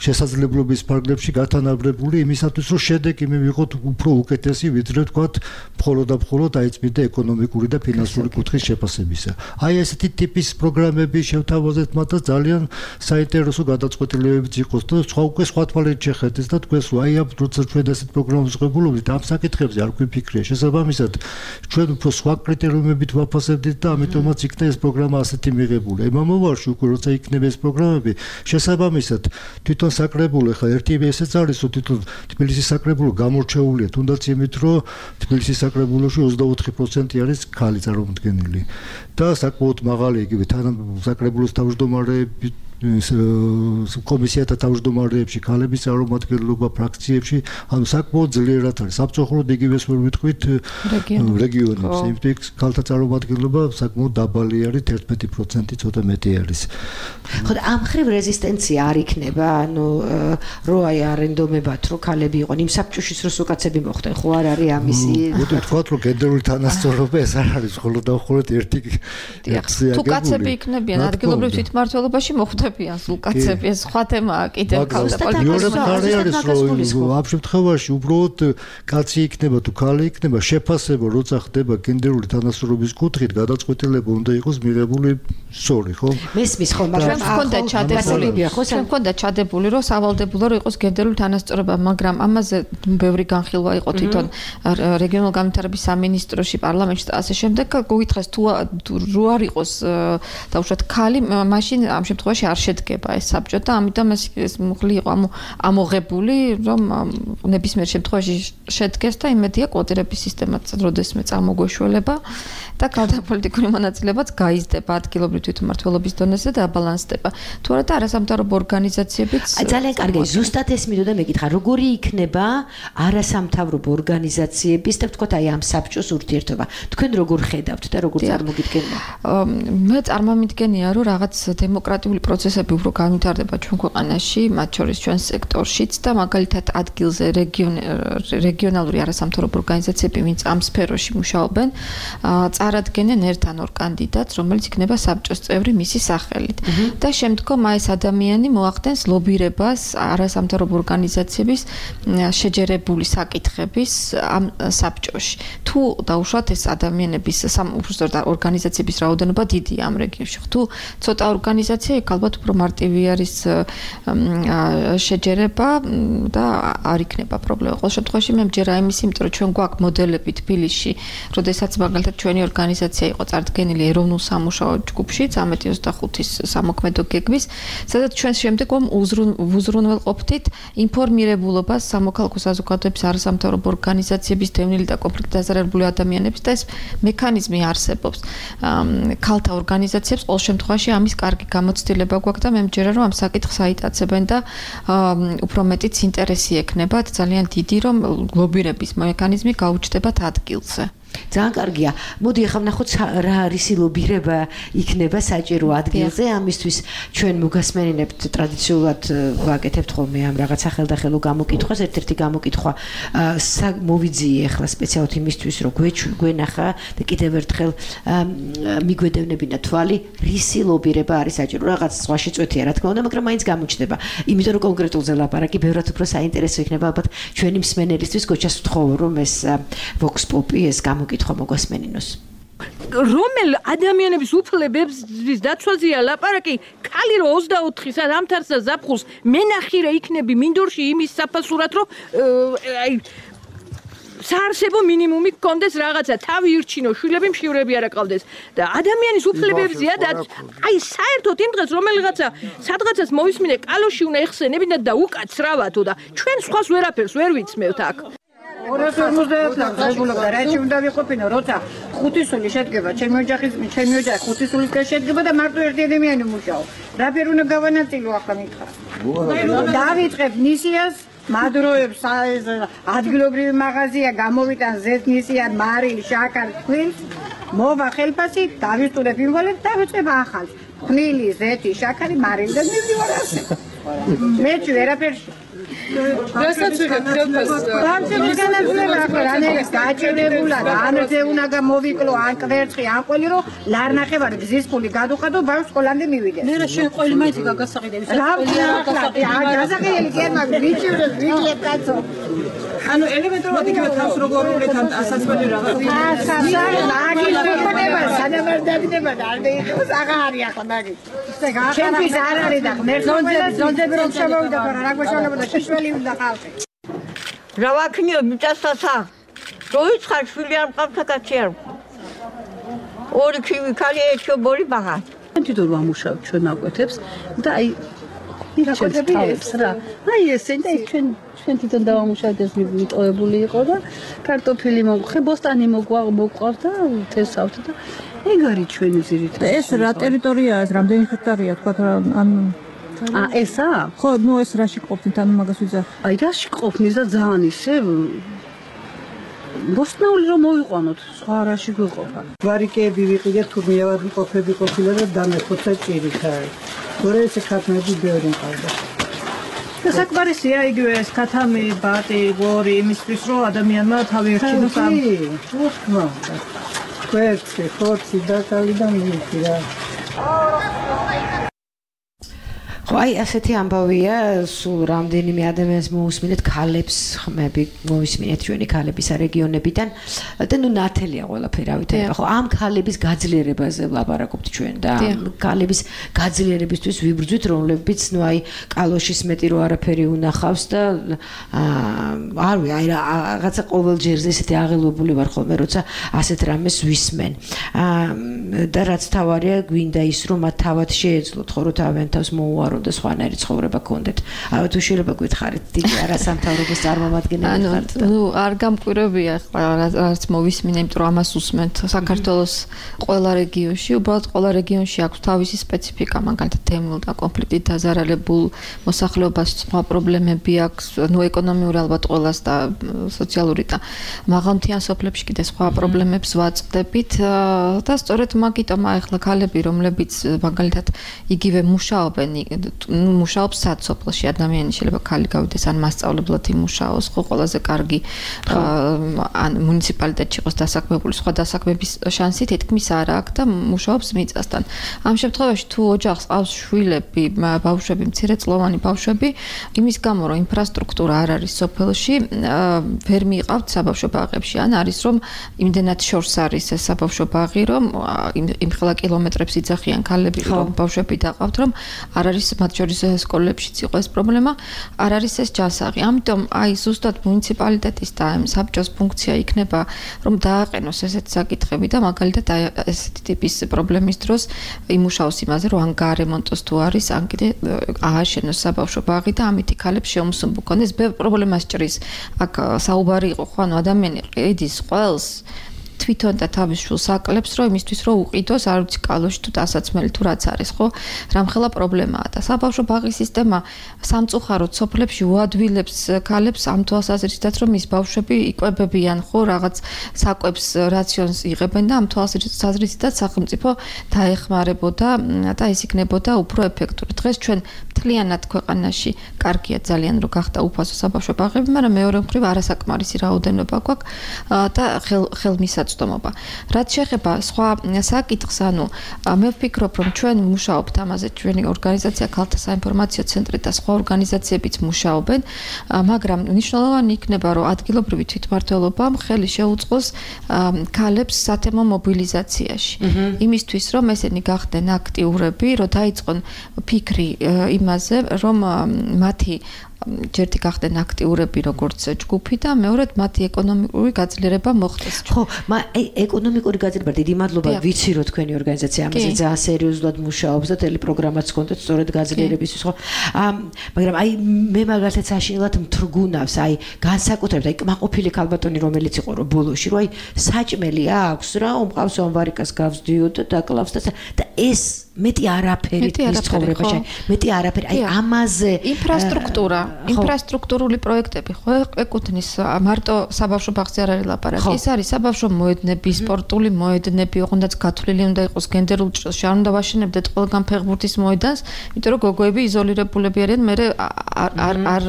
შესაძლებლობის ფარგლებში გათანაბრებული იმისათვის, რომ შედეგი მივიღოთ უფრო უკეთესი, ვიდრე თქვათ, მხოლოდ და მხოლოდ აიწმიდა ეკონომიკური და ფინანსური კუთხის შეფასებისა. აი ესეთი ტიპის პროგრამები შევთავაზეთ მათ და ძალიან საინტერესო გადაწყვეტილებებიც იყოს და სხვა უკვე სხვა თვალით შეხედეთ და თქვენს აი ამ როცა ჩვენ ასეთ პროგრამებს ვღებულობთ, ამ საკითხებზე არ გვიფიქრია. შესაბამისად, ჩვენ უფრო სხვა კრიტერიუმებით ვაფასებდით და ამიტომაც იქნა ეს პროგრამა ასეთი მიღებული. აი მომავალში უკვე როცა იქნება ეს პროგრამები, შესაბამისად, თვითონ საკრებულო ხა ერთი ესეც არის რომ თვითონ თბილისის საკრებულო გამორჩეულია თუნდაც იმით რომ თბილისის საკრებულოში ოცდაოთხი პროცენტი არის ქალი წარმომადგენელი და საკმაოდ მაღალი იგივე საკრებულოს თავმჯდომარეები კომისიათა თავმჯდომარეებში ქალების წარმომადგენლობა ფრაქციებში ანუ საკმაოდძლიერად არის სამწუხაროდ იგივეს ვერ ვიტყვით რეგიონებს იმით ქალთა წარმომადგენლობა საკმაოდ დაბალი არის ერთმეტი პროცენტი ცოტა მეტი არის ხო და ამ ხრივ რეზისტენცია არ იქნება ანუ რო აი არენდომებად რო ქალები იყვნენ იმ საბჭოშიც რო სუკაცები მოხდნენ ხო არ არის ამისი მოდი ვთქვათ რომ გენდერული თანასწორობა ეს არ არის მხოლოდ და მხოლოდ ერთი თუ კაცები იქნებიან ადგილობრივ თვითმმართველობაში მოხვდებიან სულკაცები ეს სხვა თემაა კიდევ ქალთა პოლიტიკაში ამ შემთხვევაში უბრალოდ კაცი იქნება თუ ქალი იქნება შეფასება როცა ხდება გენდერული თანასწორობის კუთხით გადაწყვეტილება უნდა იყოს მიღებული სწორი ხო მესმის ხო მაგრამ მქონდა ჩადებული ხო მქონდა ჩადებული რომ სავალდებულო რომ იყოს გენდერული თანასწორობა მაგრამ ამაზე ბევრი განხილვა იყო თვითონ რეგიონულ განვითარების სამინისტროში პარლამენტში და ასე შემდეგ გუგითხეს თუ რო არ იყოს დაუშვათ ქალი მაშინ ამ შემთხვევაში არ შედგება ეს საბჭო და ამიტომ ეს მუხლი იყო ამოღებული რომ ნებისმიერ შემთხვევაში შედგეს და იმედია კვოტირების სისტემაც როდესმე წამოგვეშველება და ქალთა პოლიტიკური მონაწილეებაც გაიზრდება ადგილობრივ თვითმმართველობის დონეზე და აბალანსდება. თუ არა და არასამთავრობო ორგანიზაციებიც ძალიან კარგი ზუსტად ეს მინდოდა მეკითხა როგორი იქნება არასამთავრობო ორგანიზაციების და ვთქვათ აი ამ საბჭოს ურთიერთობა. თქვენ როგორ ხედავთ და როგორ წარმოგიდგენია? მე წარმომიდგენია რომ რაღაც დემოკრატიული პროცესები უფრო განვითარდება ჩვენ ქვეყანაში, მათ შორის ჩვენ სექტორშიც და მაგალითად ადგილზე რეგიონალური არასამთავრობო ორგანიზაციები ვინც ამ სფეროში მუშაობენ, წარადგენენ ერთ ან ორ კანდიდატს, რომელიც იქნება საბჭოს წევრი მისი სახელით. და შემდგომ აი ეს ადამიანი მოახდენს ლობირებას არასამთავრობო ორგანიზაციების შეჯერებული საკითხების ამ საბჭოში. თუ დაუშვათ ეს ადამიანების უბრალოდ ორგანიზაციების რაოდენობა დიდია ამ რეგიონში. თუ ცოტა ორგანიზაცია იქ ალბათ უფრო მარტივი არის შეჯერება და არ იქნება პრობლემა. ყოველ შემთხვევაში მე მჯერა იმის, იმიტომ რომ ჩვენ გვაქვს მოდელები თბილისში, როდესაც მაგალითად ჩვენი ორგანიზაცია იყო წარდგენილი ეროვნულ სამუშაო ჯგუფში, წამეტი ოცდახუთის სამოქმედო გეგმის, სადაც ჩვენ შემდეგ ვუზრუნველყოფთით ინფორმირებულობას სამოქალაქო საზოგადოების არასამთავრობო ორგანიზაციების დევნილი და კონფლიქტით დაზარალებული ადამიანების და ეს მექანიზმი არსებობს. ქალთა ორგანიზაციებს ყოველ შემთხვევაში ამის კარგი გამოცდილება გვაქვს და მე მჯერა რომ ამ საკითხს აიტაცებენ და უფრო მეტიც ინტერესი ექნებათ ძალიან დიდი რომ ლობირების მექანიზმი გაუჩნდებათ ადგილზე. ძალიან კარგია. მოდი ახლა ვნახოთ რა არის ლობირება იქნება საჭირო ადგილზე. ამისთვის ჩვენ მოგასმენინებთ ტრადიციულად ვაკეთებთ ხოლმე ამ რაღაც სახელდახელო გამოკითხვას. ერთ-ერთი გამოკითხვა მოვიძიე ახლა სპეციალურად იმისთვის რომ გვენახა და კიდევ ერთხელ მიგვედევნებინა თვალი რისი ლობირება არის საჭირო. რაღაც სხვაში წვეთია რა თქმა უნდა, მაგრამ მაინც გამოჩნდება. იმიტომ რომ კონკრეტულზე ლაპარაკი ბევრად უფრო საინტერესო იქნება ალბათ ჩვენი მსმენელისთვის. გოჩას ვთხოვო რომ ეს vox popi ეს გამოკითხვა მოგასმენინოს. რომელ ადამიანების უფლებების დაცვაზეა ლაპარაკი, ქალი რო ოცდაოთხის ამთარსა ზაფხულს მენახირე იქნები მინდორში იმის საფასურად რომ აი საარსებო მინიმუმი გქონდეს რაღაცა, თავი ირჩინო, შვილები მშივრები არ აყავდეს და ადამიანის უფლებებზეა და აი საერთოდ იმ დღეს რომელიღაცა სადღაცას მოვისმინე კალოში უნდა ეხსენებინათ და უკაცრავათო და ჩვენ სხვას ვერაფერს ვერ ვიცმევთ აქ. ორას ორმოცდაათი ღებულობდა რაჭი უნდა ვიყოფინო როცა ხუთისული შედგება ჩემი ოჯახის ჩემი ოჯახი ხუთისულისგან შედგება და მარტო ერთი ადამიანი მუშაობ რა ფერ უნდა გავანაწილო ახლა მითხრა დავიწყებ ნისიას მადროებს ადგილობრივი მაღაზია გამოვიტან ზეთ ნისიან მარილი შაქარი თქვენს მოვა ხელფასი დავისტურებ იმვალებს დავიწყებ ახალ ხნილი ზეთი შაქარი მარილი და მივდივარ ასე მე ვერაფერში რასაც ვიღებ ხელფასს ბანკის განაძლება ახლა რანაირად გაჭირებულა და ანზე უნდა გამოვიკლო ან კვერცხი ან ყველი რომ ლარნახევარი გზის ფული გადუხადო ბავშვს სკოლამდე მივიდე მე რა შენ ყველი მაინც გაგასაყიდები რა გასაყიდელი კი არ მაქვს ვიჭირდეს ვიკლებ კაცო ანუ ელემენტარულად იგივე თავს როგორ ունეთან ასაცმელი რაღაც ასაცმელი მაგის მიყონება სანამარდაგდება და არ მეიხოს აღარი ახლა მაგის ჩემთვის არ არის და ღმერთს ზონდები რომ შემოვიდა და რა გვეშალებოდა შეშველი უნდა ყავდე რა ვაქნიო მიწასასა რო იცხარ შვილი არ მყავდა კაცი არ ორი ქივი ქალი ერთიო ბორი ბაღა თვითონ ვამუშავ ჩვენ აკვეთებს და აი მირაკოდებს რა. აი ესე და ჩვენ ჩვენ თვითონ დავამუშავეთ ეს მიტოვებული იყო და კარტოფილი მოგვხე, ბოსტანი მოგვაყავთ და თესავთ და ეგ არის ჩვენი ძირითადი. ეს რა ტერიტორიაა, ეს რამდენი ჰექტარია თქვა რა ან ა ესა? ხო, ნუ ეს რაში ყოფნით, ანუ მაგას ვიძახ. აი რაში ყოფნის და ძალიან ისე ბოსტნაული რომ მოვიყვანოთ, სხვა რაში გვიყოფა. ვარიკეები ვიყიდეთ, თურმე ავადმყოფები ყოფილა და დამეხოცა ჭირიქა. გორე ეს ქათმები ბევრი მყავდა. და საკმარისია იგივე ეს ქათამი, ბატი, გორი იმისთვის რომ ადამიანმა თავი ერჩინოს ამ უხმა. კვერცხი, ხორცი და კალი და მილკი რა. ხო, აი ასეთი ამბავია, სულ რამდენიმე ადამიანს მოусმინეთ ქალებს, ხმები მოусმინეთ ჩვენი ქალების რეგიონებიდან და ნუ ნათელია ყველაფერი, რა ვიცი, ხო, ამ ქალების გაძლიერებაზე ვლაპარაკობთ ჩვენ და ქალების გაძლიერებისთვის ვიბრძვით, რომლებიც ნუ აი კალოშის მეტი რო არაფერი უნახავს და არ ვიცი, აი რაღაცა ყოველ ჯერზე ესეთი აღელვებული ვარ ხოლმე, როცა ასეთ რამეს ვისმენ. და რაც თავარია, გვინდა ის რომ მათ თავად შეეძლოთ, ხო, რომ თავიანთ თავს მოუარო და სხვანაირი ცხოვრება გქონდეთ. აი თუ შეიძლება გითხარით დიდი არასამთავრობოს წარმომადგენელი ხართ. ნუ არ გამკვირვებია ახლა რაც მოვისმინე, იმიტომ რომ ამას უსმენთ საქართველოს ყველა რეგიონში, უბრალოდ ყველა რეგიონში აქვს თავისი სპეციფიკა, მაგალითად თემურ და კონფლიქტით დაზარალებულ მოსახლეობას სხვა პრობლემები აქვს, ნუ ეკონომიური ალბათ ყველას და სოციალური და მაღალმთიან სოფლებში კიდე სხვა პრობლემებს ვაწყდებით და სწორედ მაგიტომ ახლა ქალები, რომლებიც მაგალითად იგივე მუშაობენ ნუ მუშაობს საცოფლოში ადამიანი შეიძლება ქალი გავიდეს ან მასწავლებლად იმუშაოს, ხო ყველაზე კარგი ან მუნიციპალიტეტში იყოს დასაქმებული, სხვა დასაქმების შანსი თითქმის არ აქვს და მუშაობს მიწასთან. ამ შემთხვევაში თუ ოჯახს ყავს შვილები, ბავშვები, მცირეწლოვანი ბავშვები, იმის გამო რომ ინფრასტრუქტურა არ არის სოფელში, ვერ მიიყავთ საბავშვო ბაღებში, ან არის რომ იმდენად შორს არის ეს საბავშვო ბაღი, რომ იმ ხელა კილომეტრებს იძახიან ქალები, რომ ბავშვები დაყავთ, რომ არ არის მათ შორის სკოლებშიც იყო ეს პრობლემა, არ არის ეს ჯანსაღი. ამიტომ აი ზუსტად მუნიციპალიტეტის და ამ საბჭოს ფუნქცია იქნება, რომ დააყენოს ესეთი საკითხები და მაგალითად აი ესეთი ტიპის პრობლემის დროს იმუშაოს იმაზე, რომ ან გარემონტოს თუ არის, ან კიდე ააშენოს საბავშვო ბაღი და ამით ქალებს შეუმსუბუქ კონდეს. ბევრ პრობლემას ჭრის. აქ საუბარი იყო, ხო, ანუ ადამიანი ყიდის ყველს თვითონ და თავის შვილს აკლებს, რომ იმისთვის რომ უყიდოს, არ ვიცი, კალოში თუ დასაცმელი თუ რაც არის, ხო? რამხელა პრობლემაა და საბავშვო ბაღის სისტემა სამწუხაროდ სოფლებში უადვილებს ქალებს ამ თვალსაზრისითაც, რომ ის ბავშვები იკვებებიან, ხო, რაღაც საკვებს რაციონს იღებენ და ამ თვალსაზრისითაც სახელმწიფო დაეხმარებოდა და ეს იქნებოდა უფრო ეფექტური. დღეს ჩვენ მთლიანად ქვეყანაში კარგია ძალიან რომ გახდა უფასო საბავშვო ბაღები, მაგრამ მეორე მხრივ არასაკმარისი რაოდენობა გვაქვს და ხელმისაწვდომი რაც შეეხება სხვა საკითხს, ანუ მე ვფიქრობ, რომ ჩვენ მუშაობთ ამაზე, ჩვენი ორგანიზაცია ქალთა საინფორმაციო ცენტრი და სხვა ორგანიზაციებიც მუშაობენ, მაგრამ მნიშვნელოვანი იქნება, რომ ადგილობრივი თვითმმართველობამ ხელი შეუწყოს ქალებს სათემო მობილიზაციაში. იმისთვის, რომ ესენი გახდნენ აქტიურები, რომ დაიწყონ ფიქრი იმაზე, რომ მათი ჯერთი გახდნენ აქტიურები როგორც ჯგუფი და მეორედ მათი ეკონომიკური გაძლიერება მოხდეს. ხო, აი ეკონომიკური გაძლიერება, დიდი მადლობა, ვიცი რომ თქვენი ორგანიზაცია ამაზე ძალიან სერიოზულად მუშაობს და ტელეპროგრამაც გქონდეთ სწორედ გაძლიერებისთვის, ხო? მაგრამ აი მე მაგალითად საშინელად მთრგუნავს, აი განსაკუთრებით აი კმაყოფილი ქალბატონი რომელიც იყო რომ ბოლოში, რომ აი საჭმელი აქვს რა, უმყავს ვარიკას გავსდიოდ და დაკლავს და ეს მეტი არაფერი ის ცხოვრებაში, მეტი არაფერი, აი ამაზე ინფრასტრუქტურა, ინფრასტრუქტურული პროექტები, ხო, ეკუთვნის მარტო საბავშვო ბაღზე არ არის ლაპარაკი, ეს არის საბავშვო მოედნები, სპორტული მოედნები, ოღონდ გათვლილი უნდა იყოს გენდერულ ჭრილში, არ უნდა ვაშენებდეთ ყველგან ფეხბურთის მოედანს, იმიტომ რომ გოგოები იზოლირებულები არიან, მე არ არ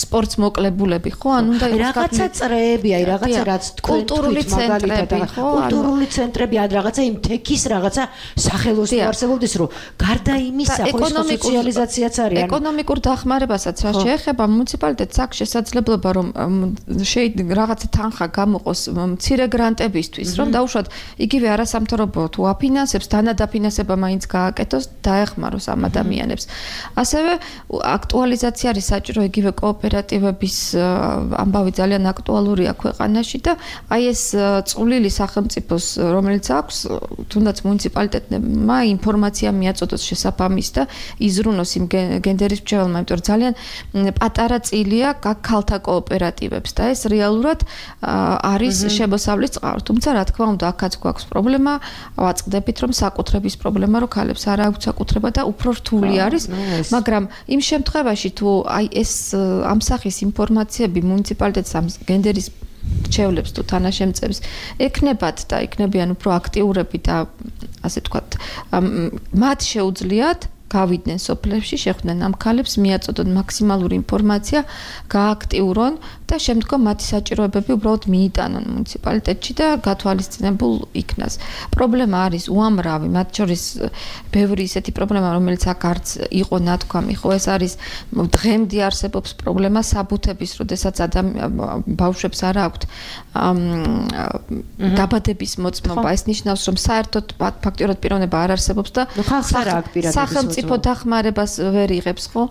სპორტს მოკლებულები, ხო, ან უნდა იყოს რაღაცა წრეები, აი რაღაცა რაც კულტურული ცენტრები, ხო, კულტურული ცენტრები, ან რაღაცა იმ თექის რაღაცა სახელოსნო არსებობდეს, რომ გარდა იმისა, ხო, სოციალიზაციაც არის. ეკონომიკურ დახმარებასაც რა შეეხება მუნიციპალიტეტს აქვს შესაძლებლობა რომ რაღაცა თანხა გამოყოს მცირე გრანტებისთვის, რომ დაუშვათ იგივე არასამთავრობო თუ აფინანსებს, დანადაფინანსება მაინც გააკეთოს, დაეხმაროს ამ ადამიანებს. ასევე აქტუალიზაცია არის საჭირო იგივე კოოპერატივების ამბავი ძალიან აქტუალურია ქვეყანაში და აი ეს წვლილი სახელმწიფოს, რომელიც აქვს, თუნდაც მუნიციპალიტეტმა ინფორმაცია მიაწოდოს შესაბამის და იზრუნოს იმ გენდერის მრჩეველმა, იმიტომ რომ ძალიან პატარა წილია ქალთა კოოპერატივებს და ეს რეალურად არის შემოსავლის წყარო. თუმცა რა თქმა უნდა, აქაც გვაქვს პრობლემა, ვაწყდებით რომ საკუთრების პრობლემა რო ქალებს არ აქვს საკუთრება და უფრო რთული არის, მაგრამ იმ შემთხვევაში თუ აი ეს ამ სახის ინფორმაციები მუნიციპალიტეტს ამ გენდერის მრჩევლებს თუ თანაშემწეებს ეკნებათ და იქნებიან უფრო აქტიურები და ასე ვთქვათ, მათ შეუძლიათ გავიდნენ სოფლებში, შეხვდნენ ამ ქალებს, მიაწოდონ მაქსიმალური ინფორმაცია, გააქტიურონ და შემდგომ მათი საჭიროებები უბრალოდ მიიტანონ მუნიციპალიტეტში და გათვალისწინებულ იქნას. პრობლემა არის უამრავი, მათ შორის ბევრი ისეთი პრობლემა, რომელიც აქ არც იყო ნათქვამი, ხო, ეს არის დღემდე არსებობს პრობლემა საბუთების, როდესაც ბავშვებს არ აქვთ დაბადების მოწმობა. ეს ნიშნავს, რომ საერთოდ ფაქტიურად პიროვნება არ არსებობს და სახელმწიფო დახმარებას ვერ იღებს, ხო?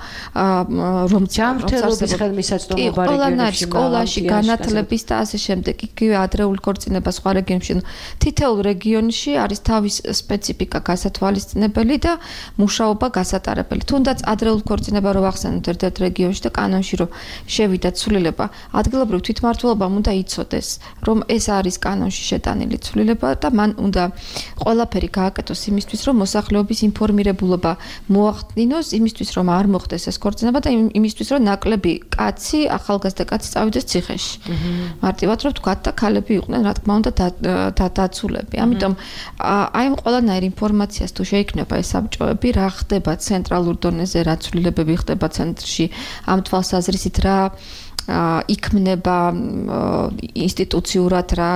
რომ ჯანმრთელობის ხელმისაწვდომობა რეგიონებში, სკოლაში, განათლების და ასე შემდეგ. იგივე ადრეული ქორწინება სხვა რეგიონებში. თითოეულ რეგიონში არის თავის სპეციფიკა გასათვალისწინებელი და მუშაობა გასატარებელი. თუნდაც ადრეულ ქორწინება რო ვახსენოთ ერთ-ერთ რეგიონში და კანონში რო შევიდა ცვლილება, ადგილობრივ თვითმმართველობამ უნდა იცოდეს, რომ ეს არის კანონში შეტანილი ცვლილება და მან უნდა ყველაფერი გააკეთოს იმისთვის, რომ მოსახლეობის ინფორმირებულობა მოახდინოს, იმისთვის, რომ არ მოხდეს ეს ქორწინება და იმისთვის, რომ ნაკლები კაცი, ახალგაზრდა კაცი წავიდეს ციხეში. მარტივად რომ ვთქვათ და ქალები იყვნენ, რა თქმა უნდა, დაცულები. ამიტომ აი ამ ყველანაირ ინფორმაციას თუ შეიქმნება ეს საბჭოები, რა ხდება ცენტრალურ დონეზე, რა ცვლილებები ხდება ცენტრში, ამ თვალსაზრისით რა იქმნება ინსტიტუციურად რა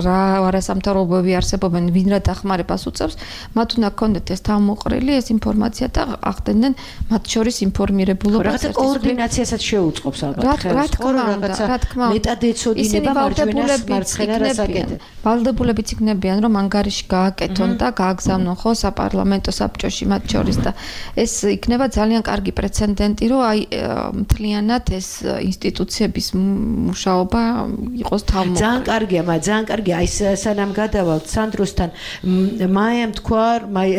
რა არასამთავრობოები არსებობენ, ვინ რა დახმარებას უწევს, მათ უნდა ქონდეთ ეს თავმოყრილი ეს ინფორმაცია და ახდენენ მათ შორის ინფორმირებულობა. რაღაცა კოორდინაციასაც შეუწყობს ალბათ. რა თქმა უნდა, რა თქმა უნდა. მეტადეცოდინება მარჯვენას მარცხენა რასაკეთებ. ვალდებულებიც იქნებიან, რომ ანგარიში გააკეთონ და გააგზავნონ ხო საპარლამენტო საბჭოში მათ შორის და ეს იქნება ძალიან კარგი პრეცედენტი, რომ აი მთლიანად ეს ინსტიტუციების მუშაობა იყოს თავმოყრილი. ძალიან კარგია, მაგრამ ძალიან კარგია. აი სანამ გადავალთ სანდროსთან, მაიამ თქვა, მაი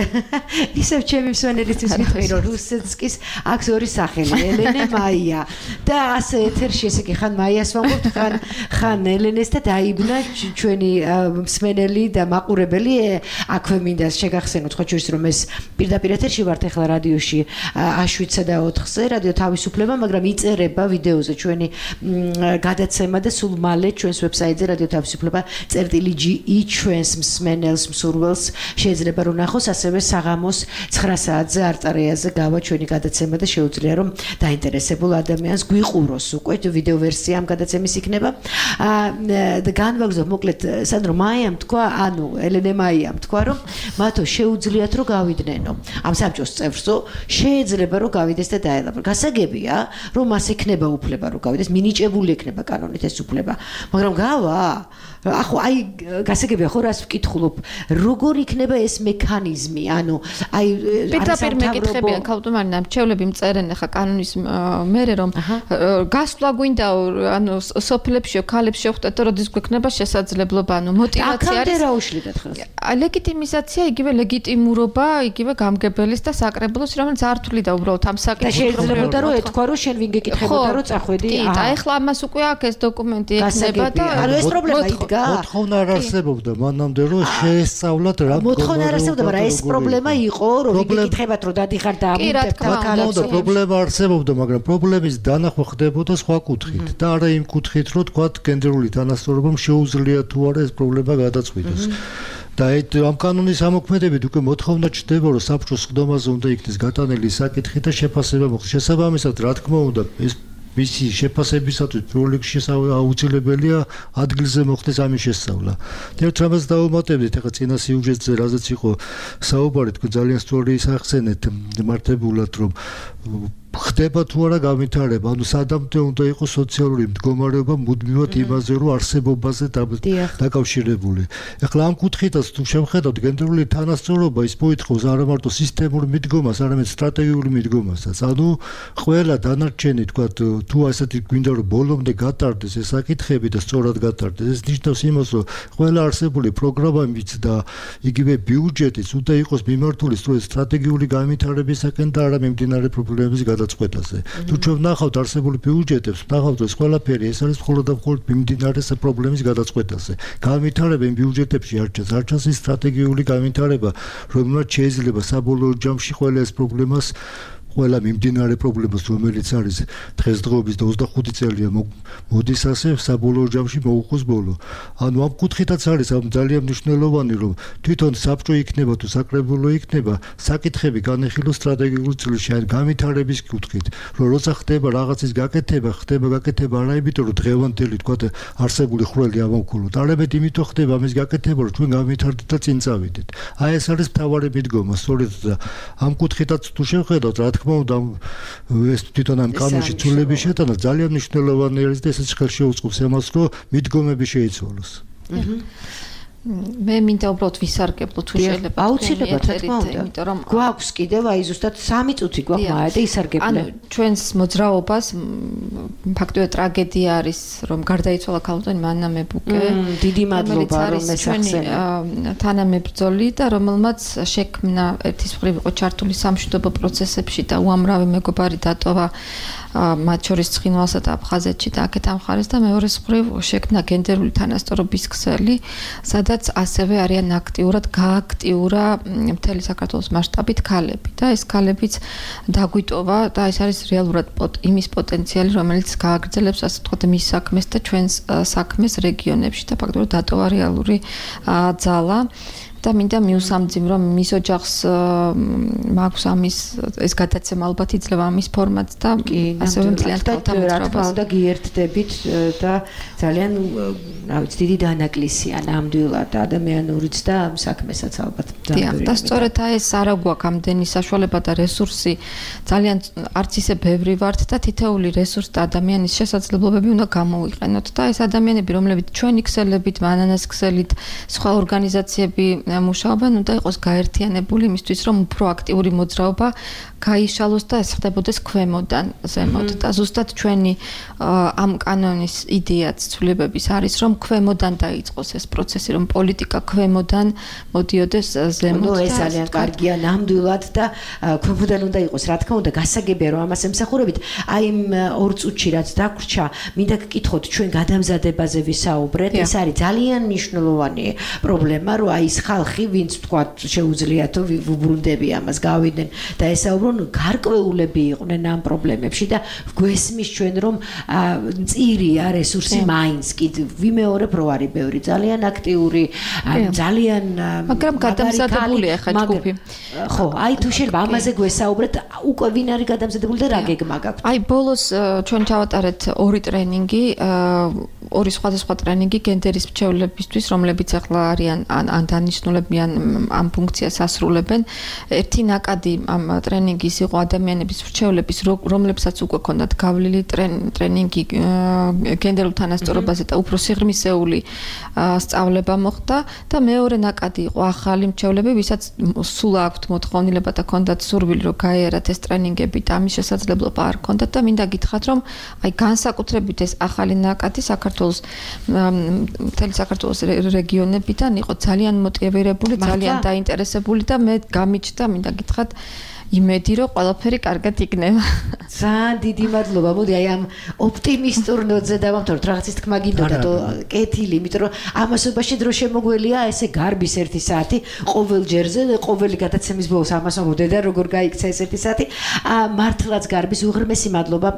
ისევ ჩემი მსვენელისთვის ვიტყვი, რომ რუსეცკის აქვს ორი სახელი, ელენე მაია. და ასე ეთერში ესე იგი ხან მაიას ვამბობთ, ხან ხან ელენეს და დაიბნა ჩვენი მსმენელი და მაყურებელი აქვე მინდა შეგახსენოთ, ხო ჩვენს რომ ეს პირდაპირ ეთერში ვართ ახლა რადიოში შვიდსა და ოთხზე, რადიო თავისუფლება, მაგრამ იწერება ვიდეოზე ჩვენი გადაცემა და სულ მალე ჩვენს ვებსაიტზე რადიო თავისუფლება წერტილი ჯი ი ჩვენს მსმენელს მსურველს შეიძლება რომ ნახოს, ასევე საღამოს ცხრა საათზე არტარეაზე გავა ჩვენი გადაცემა და შეუძლია რომ დაინტერესებულ ადამიანს გვიყუროს უკვე ვიდეო ვერსია ამ გადაცემის იქნება. და განვაგრძო მოკლედ სანდრო მაიამ თქვა, ანუ ელენე მაიამ თქვა, რომ მათო შეუძლიათ რომ გავიდნენ ამ საბჭოს წევრსო, შეიძლება რომ გავიდეს და დაელაბრო. გასაგებია რომ მას ექნება უფლება რომ გავიდეს, მინიჭებული ექნება კანონით ეს უფლება, მაგრამ გავა ახო აი გასაგებია ხო რას ვკითხულობ, როგორ იქნება ეს მექანიზმი, ანუ აი პირდაპირ მეკითხებიან ქალტუმარიდან მრჩევლები მწერენ ახლა კანონის მერე რომ გასვლა გვინდა, ანუ სოფლებშიო ქალებს შევხვდეთ და როდის გვექნება შესაძლებლობა, ანუ მოტივაცია არის. აქამდე რა უშლიდათ ხელს? ლეგიტიმიზაცია, იგივე ლეგიტიმურობა, იგივე გამგებელის და საკრებულოს, რომელიც არ თვლიდა უბრალოდ ამ საკითხს. და შეიძლება რომ ეთქვა რომ შენ ვინ გეკითხებოდა რომ წახვედი. კი, და ეხლა ამას უკვე აქ ეს დოკუმენტი ექნება და ანუ ეს პრობლემა იდგა. მოთხოვნა არ არსებობდა მანამდე რომ შეესწავლათ რა მოთხოვნა არ არსებობდა, მაგრამ ეს პრობლემა იყო რომ ვიგეკითხებათ რომ დადიხარ და ამიტომ მაგალითად პრობლემა არსებობდა, მაგრამ პრობლემის დანახვა ხდებოდა სხვა კუთხით და არა იმ კუთხით რომ თქვა გენდერული თანასწორობამ შეუძლია თუ არა ეს პრობლემა გადაწყვიტოს. და ამ კანონის ამოქმედებით უკვე მოთხოვნა ჩდება რომ საბჭოს ხდომაზე უნდა იქნეს გატანილი საკითხი და შეფასება მოხდეს. შესაბამისად, რა თქმა უნდა, ეს მისი შეფასებისათვის პირველ რიგში აუცილებელია ადგილზე მოხდეს ამის შესწავლა. ერთ რამაც დავუმატებდით, ახლა წინა სიუჟეტზე რაზეც იყო საუბარი, თქვენ ძალიან სწორი ისახსენეთ მართებულად, რომ ხდება თუ არა განვითარება, ანუ სადამდე უნდა იყოს სოციალური მდგომარეობა მუდმივად იმაზე, რომ არსებობაზე დაკავშირებული. ეხლა ამ კუთხითაც თუ შევხედავთ გენდერული თანასწორობა, ის მოითხოვს არა მარტო სისტემურ მიდგომას, არამედ სტრატეგიული მიდგომასაც. ანუ ყველა დანარჩენი, თქვათ, თუ ასეთი გვინდა რომ ბოლომდე გატარდეს ეს საკითხები და სწორად გატარდეს, ეს ნიშნავს იმას, რომ ყველა არსებული პროგრამებიც და იგივე ბიუჯეტიც უნდა იყოს მიმართული სწორედ სტრატეგიული განვითარებისაკენ და არა მიმდინარე პრობლემების გადაწყვეტაზე. თუ ჩვენ ვნახავთ არსებული ბიუჯეტებს, ვნახავთ ეს ყველაფერი ეს არის მხოლოდ და მხოლოდ მიმდინარე პრობლემის გადაწყვეტაზე. განვითარება იმ ბიუჯეტებში არ ჩანს, არ ჩანს ის სტრატეგიული განვითარება, რომელმაც შეიძლება საბოლოო ჯამში ყველა ეს პრობლემას ყველა მიმდინარე პრობლემას, რომელიც არის დღესდღეობის და ოცდახუთი წელია მოდის ასე საბოლოო ჯამში მოუხოს ბოლო. ანუ ამ კუთხითაც არის ამ ძალიან მნიშვნელოვანი, რომ თვითონ საბჭო იქნება თუ საკრებულო იქნება, საკითხები განეხილოს სტრატეგიულ წილში, ან განვითარების კუთხით, რომ როცა ხდება რაღაცის გაკეთება, ხდება გაკეთება არა იმიტომ, რომ დღევანდელი თქვა არსებული ხვრელი ამოვქოლოთ, არამედ იმიტომ ხდება ამის გაკეთება, რომ ჩვენ განვითარდეთ და წინ წავიდეთ. აი ეს არის მთავარი მიდგომა, სწორედ და ამ კუთხითაც თუ შევხედავთ, რა თქმა უნდა ეს თვითონ ამ კანონში ცვლილების შეტანა ძალიან მნიშვნელოვანი არის და ესეც ხელს შეუწყობს ამას, რომ მიდგომები შეიცვალოს. მე მინდა უბრალოდ ვისარგებლო თუ შეიძლება აუცილებლად რა თქმა უნდა, იმიტომ რომ გვაქვს კიდევ აი ზუსტად სამი წუთი გვაქვს მაე და ისარგებლე. ანუ ჩვენს მოძრაობას ფაქტობრივად ტრაგედია არის, რომ გარდაიცვალა ქალბატონი მანნა მებუკე. დიდი მადლობა რომ ესახსენე. თანამებრძოლი და რომელმაც შექმნა ერთის მხრივ იყო ჩართული სამშვიდობო პროცესებში და უამრავი მეგობარი დატოვა მათ შორის ცხინვალსა და აფხაზეთში და აქეთ ამ ხარეს და მეორეს მხრივ შექმნა გენდერული თანასწორობის ქსელი, სადაც ასევე არიან აქტიურად გააქტიურა მთელი საქართველოს მასშტაბით ქალები და ეს ქალებიც დაგვიტოვა და ეს არის რეალურად იმის პოტენციალი, რომელიც გააგრძელებს ასე ვთქვათ მის საქმეს და ჩვენს საქმეს რეგიონებში და ფაქტობრივად დატოვა რეალური ძალა. და მინდა მიუსამძიმრო რომ მის ოჯახს მაქვს ამის ეს გადაცემა ალბათ იძლევა ამის ფორმატს და ასევე მთლიან რა თქმა უნდა გიერთდებით და ძალიან რა ვიცი დიდი დანაკლისია ნამდვილად ადამიანურიც და საქმესაც ალბათ და სწორედ ეს არა გვაქვს ამდენი საშუალება და რესურსი ძალიან არც ისე ბევრი ვართ და თითოეული რესურსი და ადამიანის შესაძლებლობები უნდა გამოვიყენოთ და ეს ადამიანები რომლებიც ჩვენი ქსელებით მანანას ქსელით სხვა ორგანიზაციები მუშაობენ უნდა იყოს გაერთიანებული იმისთვის რომ უფრო აქტიური მოძრაობა გაიშალოს და ეს ხდებოდეს ქვემოდან ზემოთ და ზუსტად ჩვენი ამ კანონის იდეაც ცვლილებების არის რომ ქვემოდან დაიწყოს ეს პროცესი რომ პოლიტიკა ქვემოდან მოდიოდეს ზემოთ და ეს ძალიან კარგია ნამდვილად და ქვემოდან უნდა იყოს რა თქმა უნდა გასაგებია რომ ამას ემსახურებით აი იმ ორ წუთში რაც დაგვრჩა მინდა გკითხოთ ჩვენ გადამზადებაზე ვისაუბრეთ ეს არის ძალიან მნიშვნელოვანი პრობლემა რომ აი ეს ხალხი ვინც თქვა შეუძლიათ ვუბრუნდები ამას გავიდნენ და ესაუბრონ გარკვეულები იყვნენ ამ პრობლემებში და გვესმის ჩვენ რომ მწირია რესურსი მაინც კი ვიმეორებ რო არის ბევრი ძალიან აქტიური ძალიან მაგრამ გადამზადებულია ხა ჯგუფი ხო აი თუ შეიძლება ამაზე გვესაუბრეთ უკვე ვინ არის გადამზადებული და რა გეგმა გაქვთ აი ბოლოს ჩვენ ჩავატარეთ ორი ტრენინგი ორი სხვადასხვა ტრენინგი გენდერის მრჩევლებისთვის რომლებიც ახლა არიან ან დანიშნულებიან ამ ფუნქციას ასრულებენ ერთი ნაკადი ამ ტრენინგის იყო ადამიანების მრჩევლების რომლებსაც უკვე ქონდათ გავლილი ტრენინგი გენდერულ თანასწორობაზე და უფრო სიღრმისეული სწავლება მოხდა და მეორე ნაკადი იყო ახალი მრჩევლები ვისაც სულ აქვთ მოთხოვნილება და ქონდათ სურვილი რომ გაიარათ ეს ტრენინგები და ამის შესაძლებლობა არ ქონდათ და მინდა გითხრათ რომ აი განსაკუთრებით ეს ახალი ნაკადი საქართველოს მთელი საქართველოს რეგიონებიდან იყო ძალიან მოტივირებული ძალიან დაინტერესებული და მე გამიჩნდა მინდა გითხრათ იმედი რომ ყველაფერი კარგად იქნება. ძალიან დიდი მადლობა. მოდი აი ამ ოპტიმისტურ ნოტზე დავამთავროთ. რაღაცის თქმა გინდოდა და კეთილი, იმიტომ რომ ამასობაში დრო შემოგველია ესე გარბის ერთი საათი ყოველ ჯერზე, ყოველი გადაცემის ბოლოს ამას მოდედა როგორ გაიქცა ეს ერთი საათი. მართლაც გარბის უღრმესი მადლობა.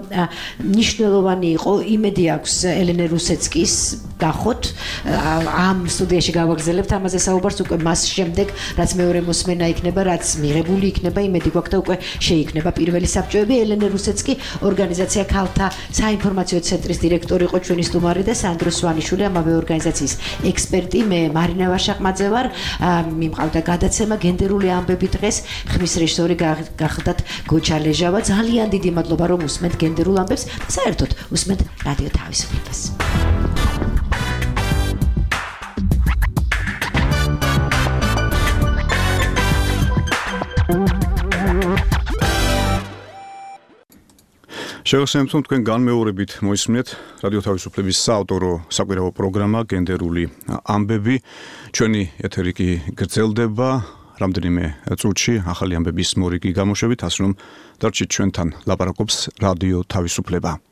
ნიშნულოვანი იყო. იმედი აქვს ელენე რუსეცკის გახოთ. ამ სტუდიაში გავაგზავნებთ ამაზე საუბარს უკვე მას შემდეგ, რაც მეორე მოსმენა იქნება, რაც მიღებული იქნება იმედი გვაქვს და უკვე შეიქმნება პირველი საბჭოები. ელენე რუსეც კი ორგანიზაცია ქალთა საინფორმაციო ცენტრის დირექტორი იყო ჩვენი სტუმარი და სანდრო სვანიშვილი ამავე ორგანიზაციის ექსპერტი. მე მარინა ვაშაყმაძე ვარ. მიმყავდა გადაცემა გენდერული ამბები დღეს. ხმის რეჟისორი გახლდათ გოჩა ლეჟავა. ძალიან დიდი მადლობა რომ უსმენთ გენდერულ ამბებს და საერთოდ უსმენთ რადიო თავისუფლებას. შევასრულებთ თქვენ განმეორებით მოისმინეთ რადიო თავისუფლების საავტორო საკვირაო პროგრამა გენდერული ამბები. ჩვენი ეთერი კი გრძელდება რამდენიმე წუთში ახალი ამბების მორიგი გამოშვებით, ასე რომ დარჩით ჩვენთან, ლაპარაკობს რადიო თავისუფლება.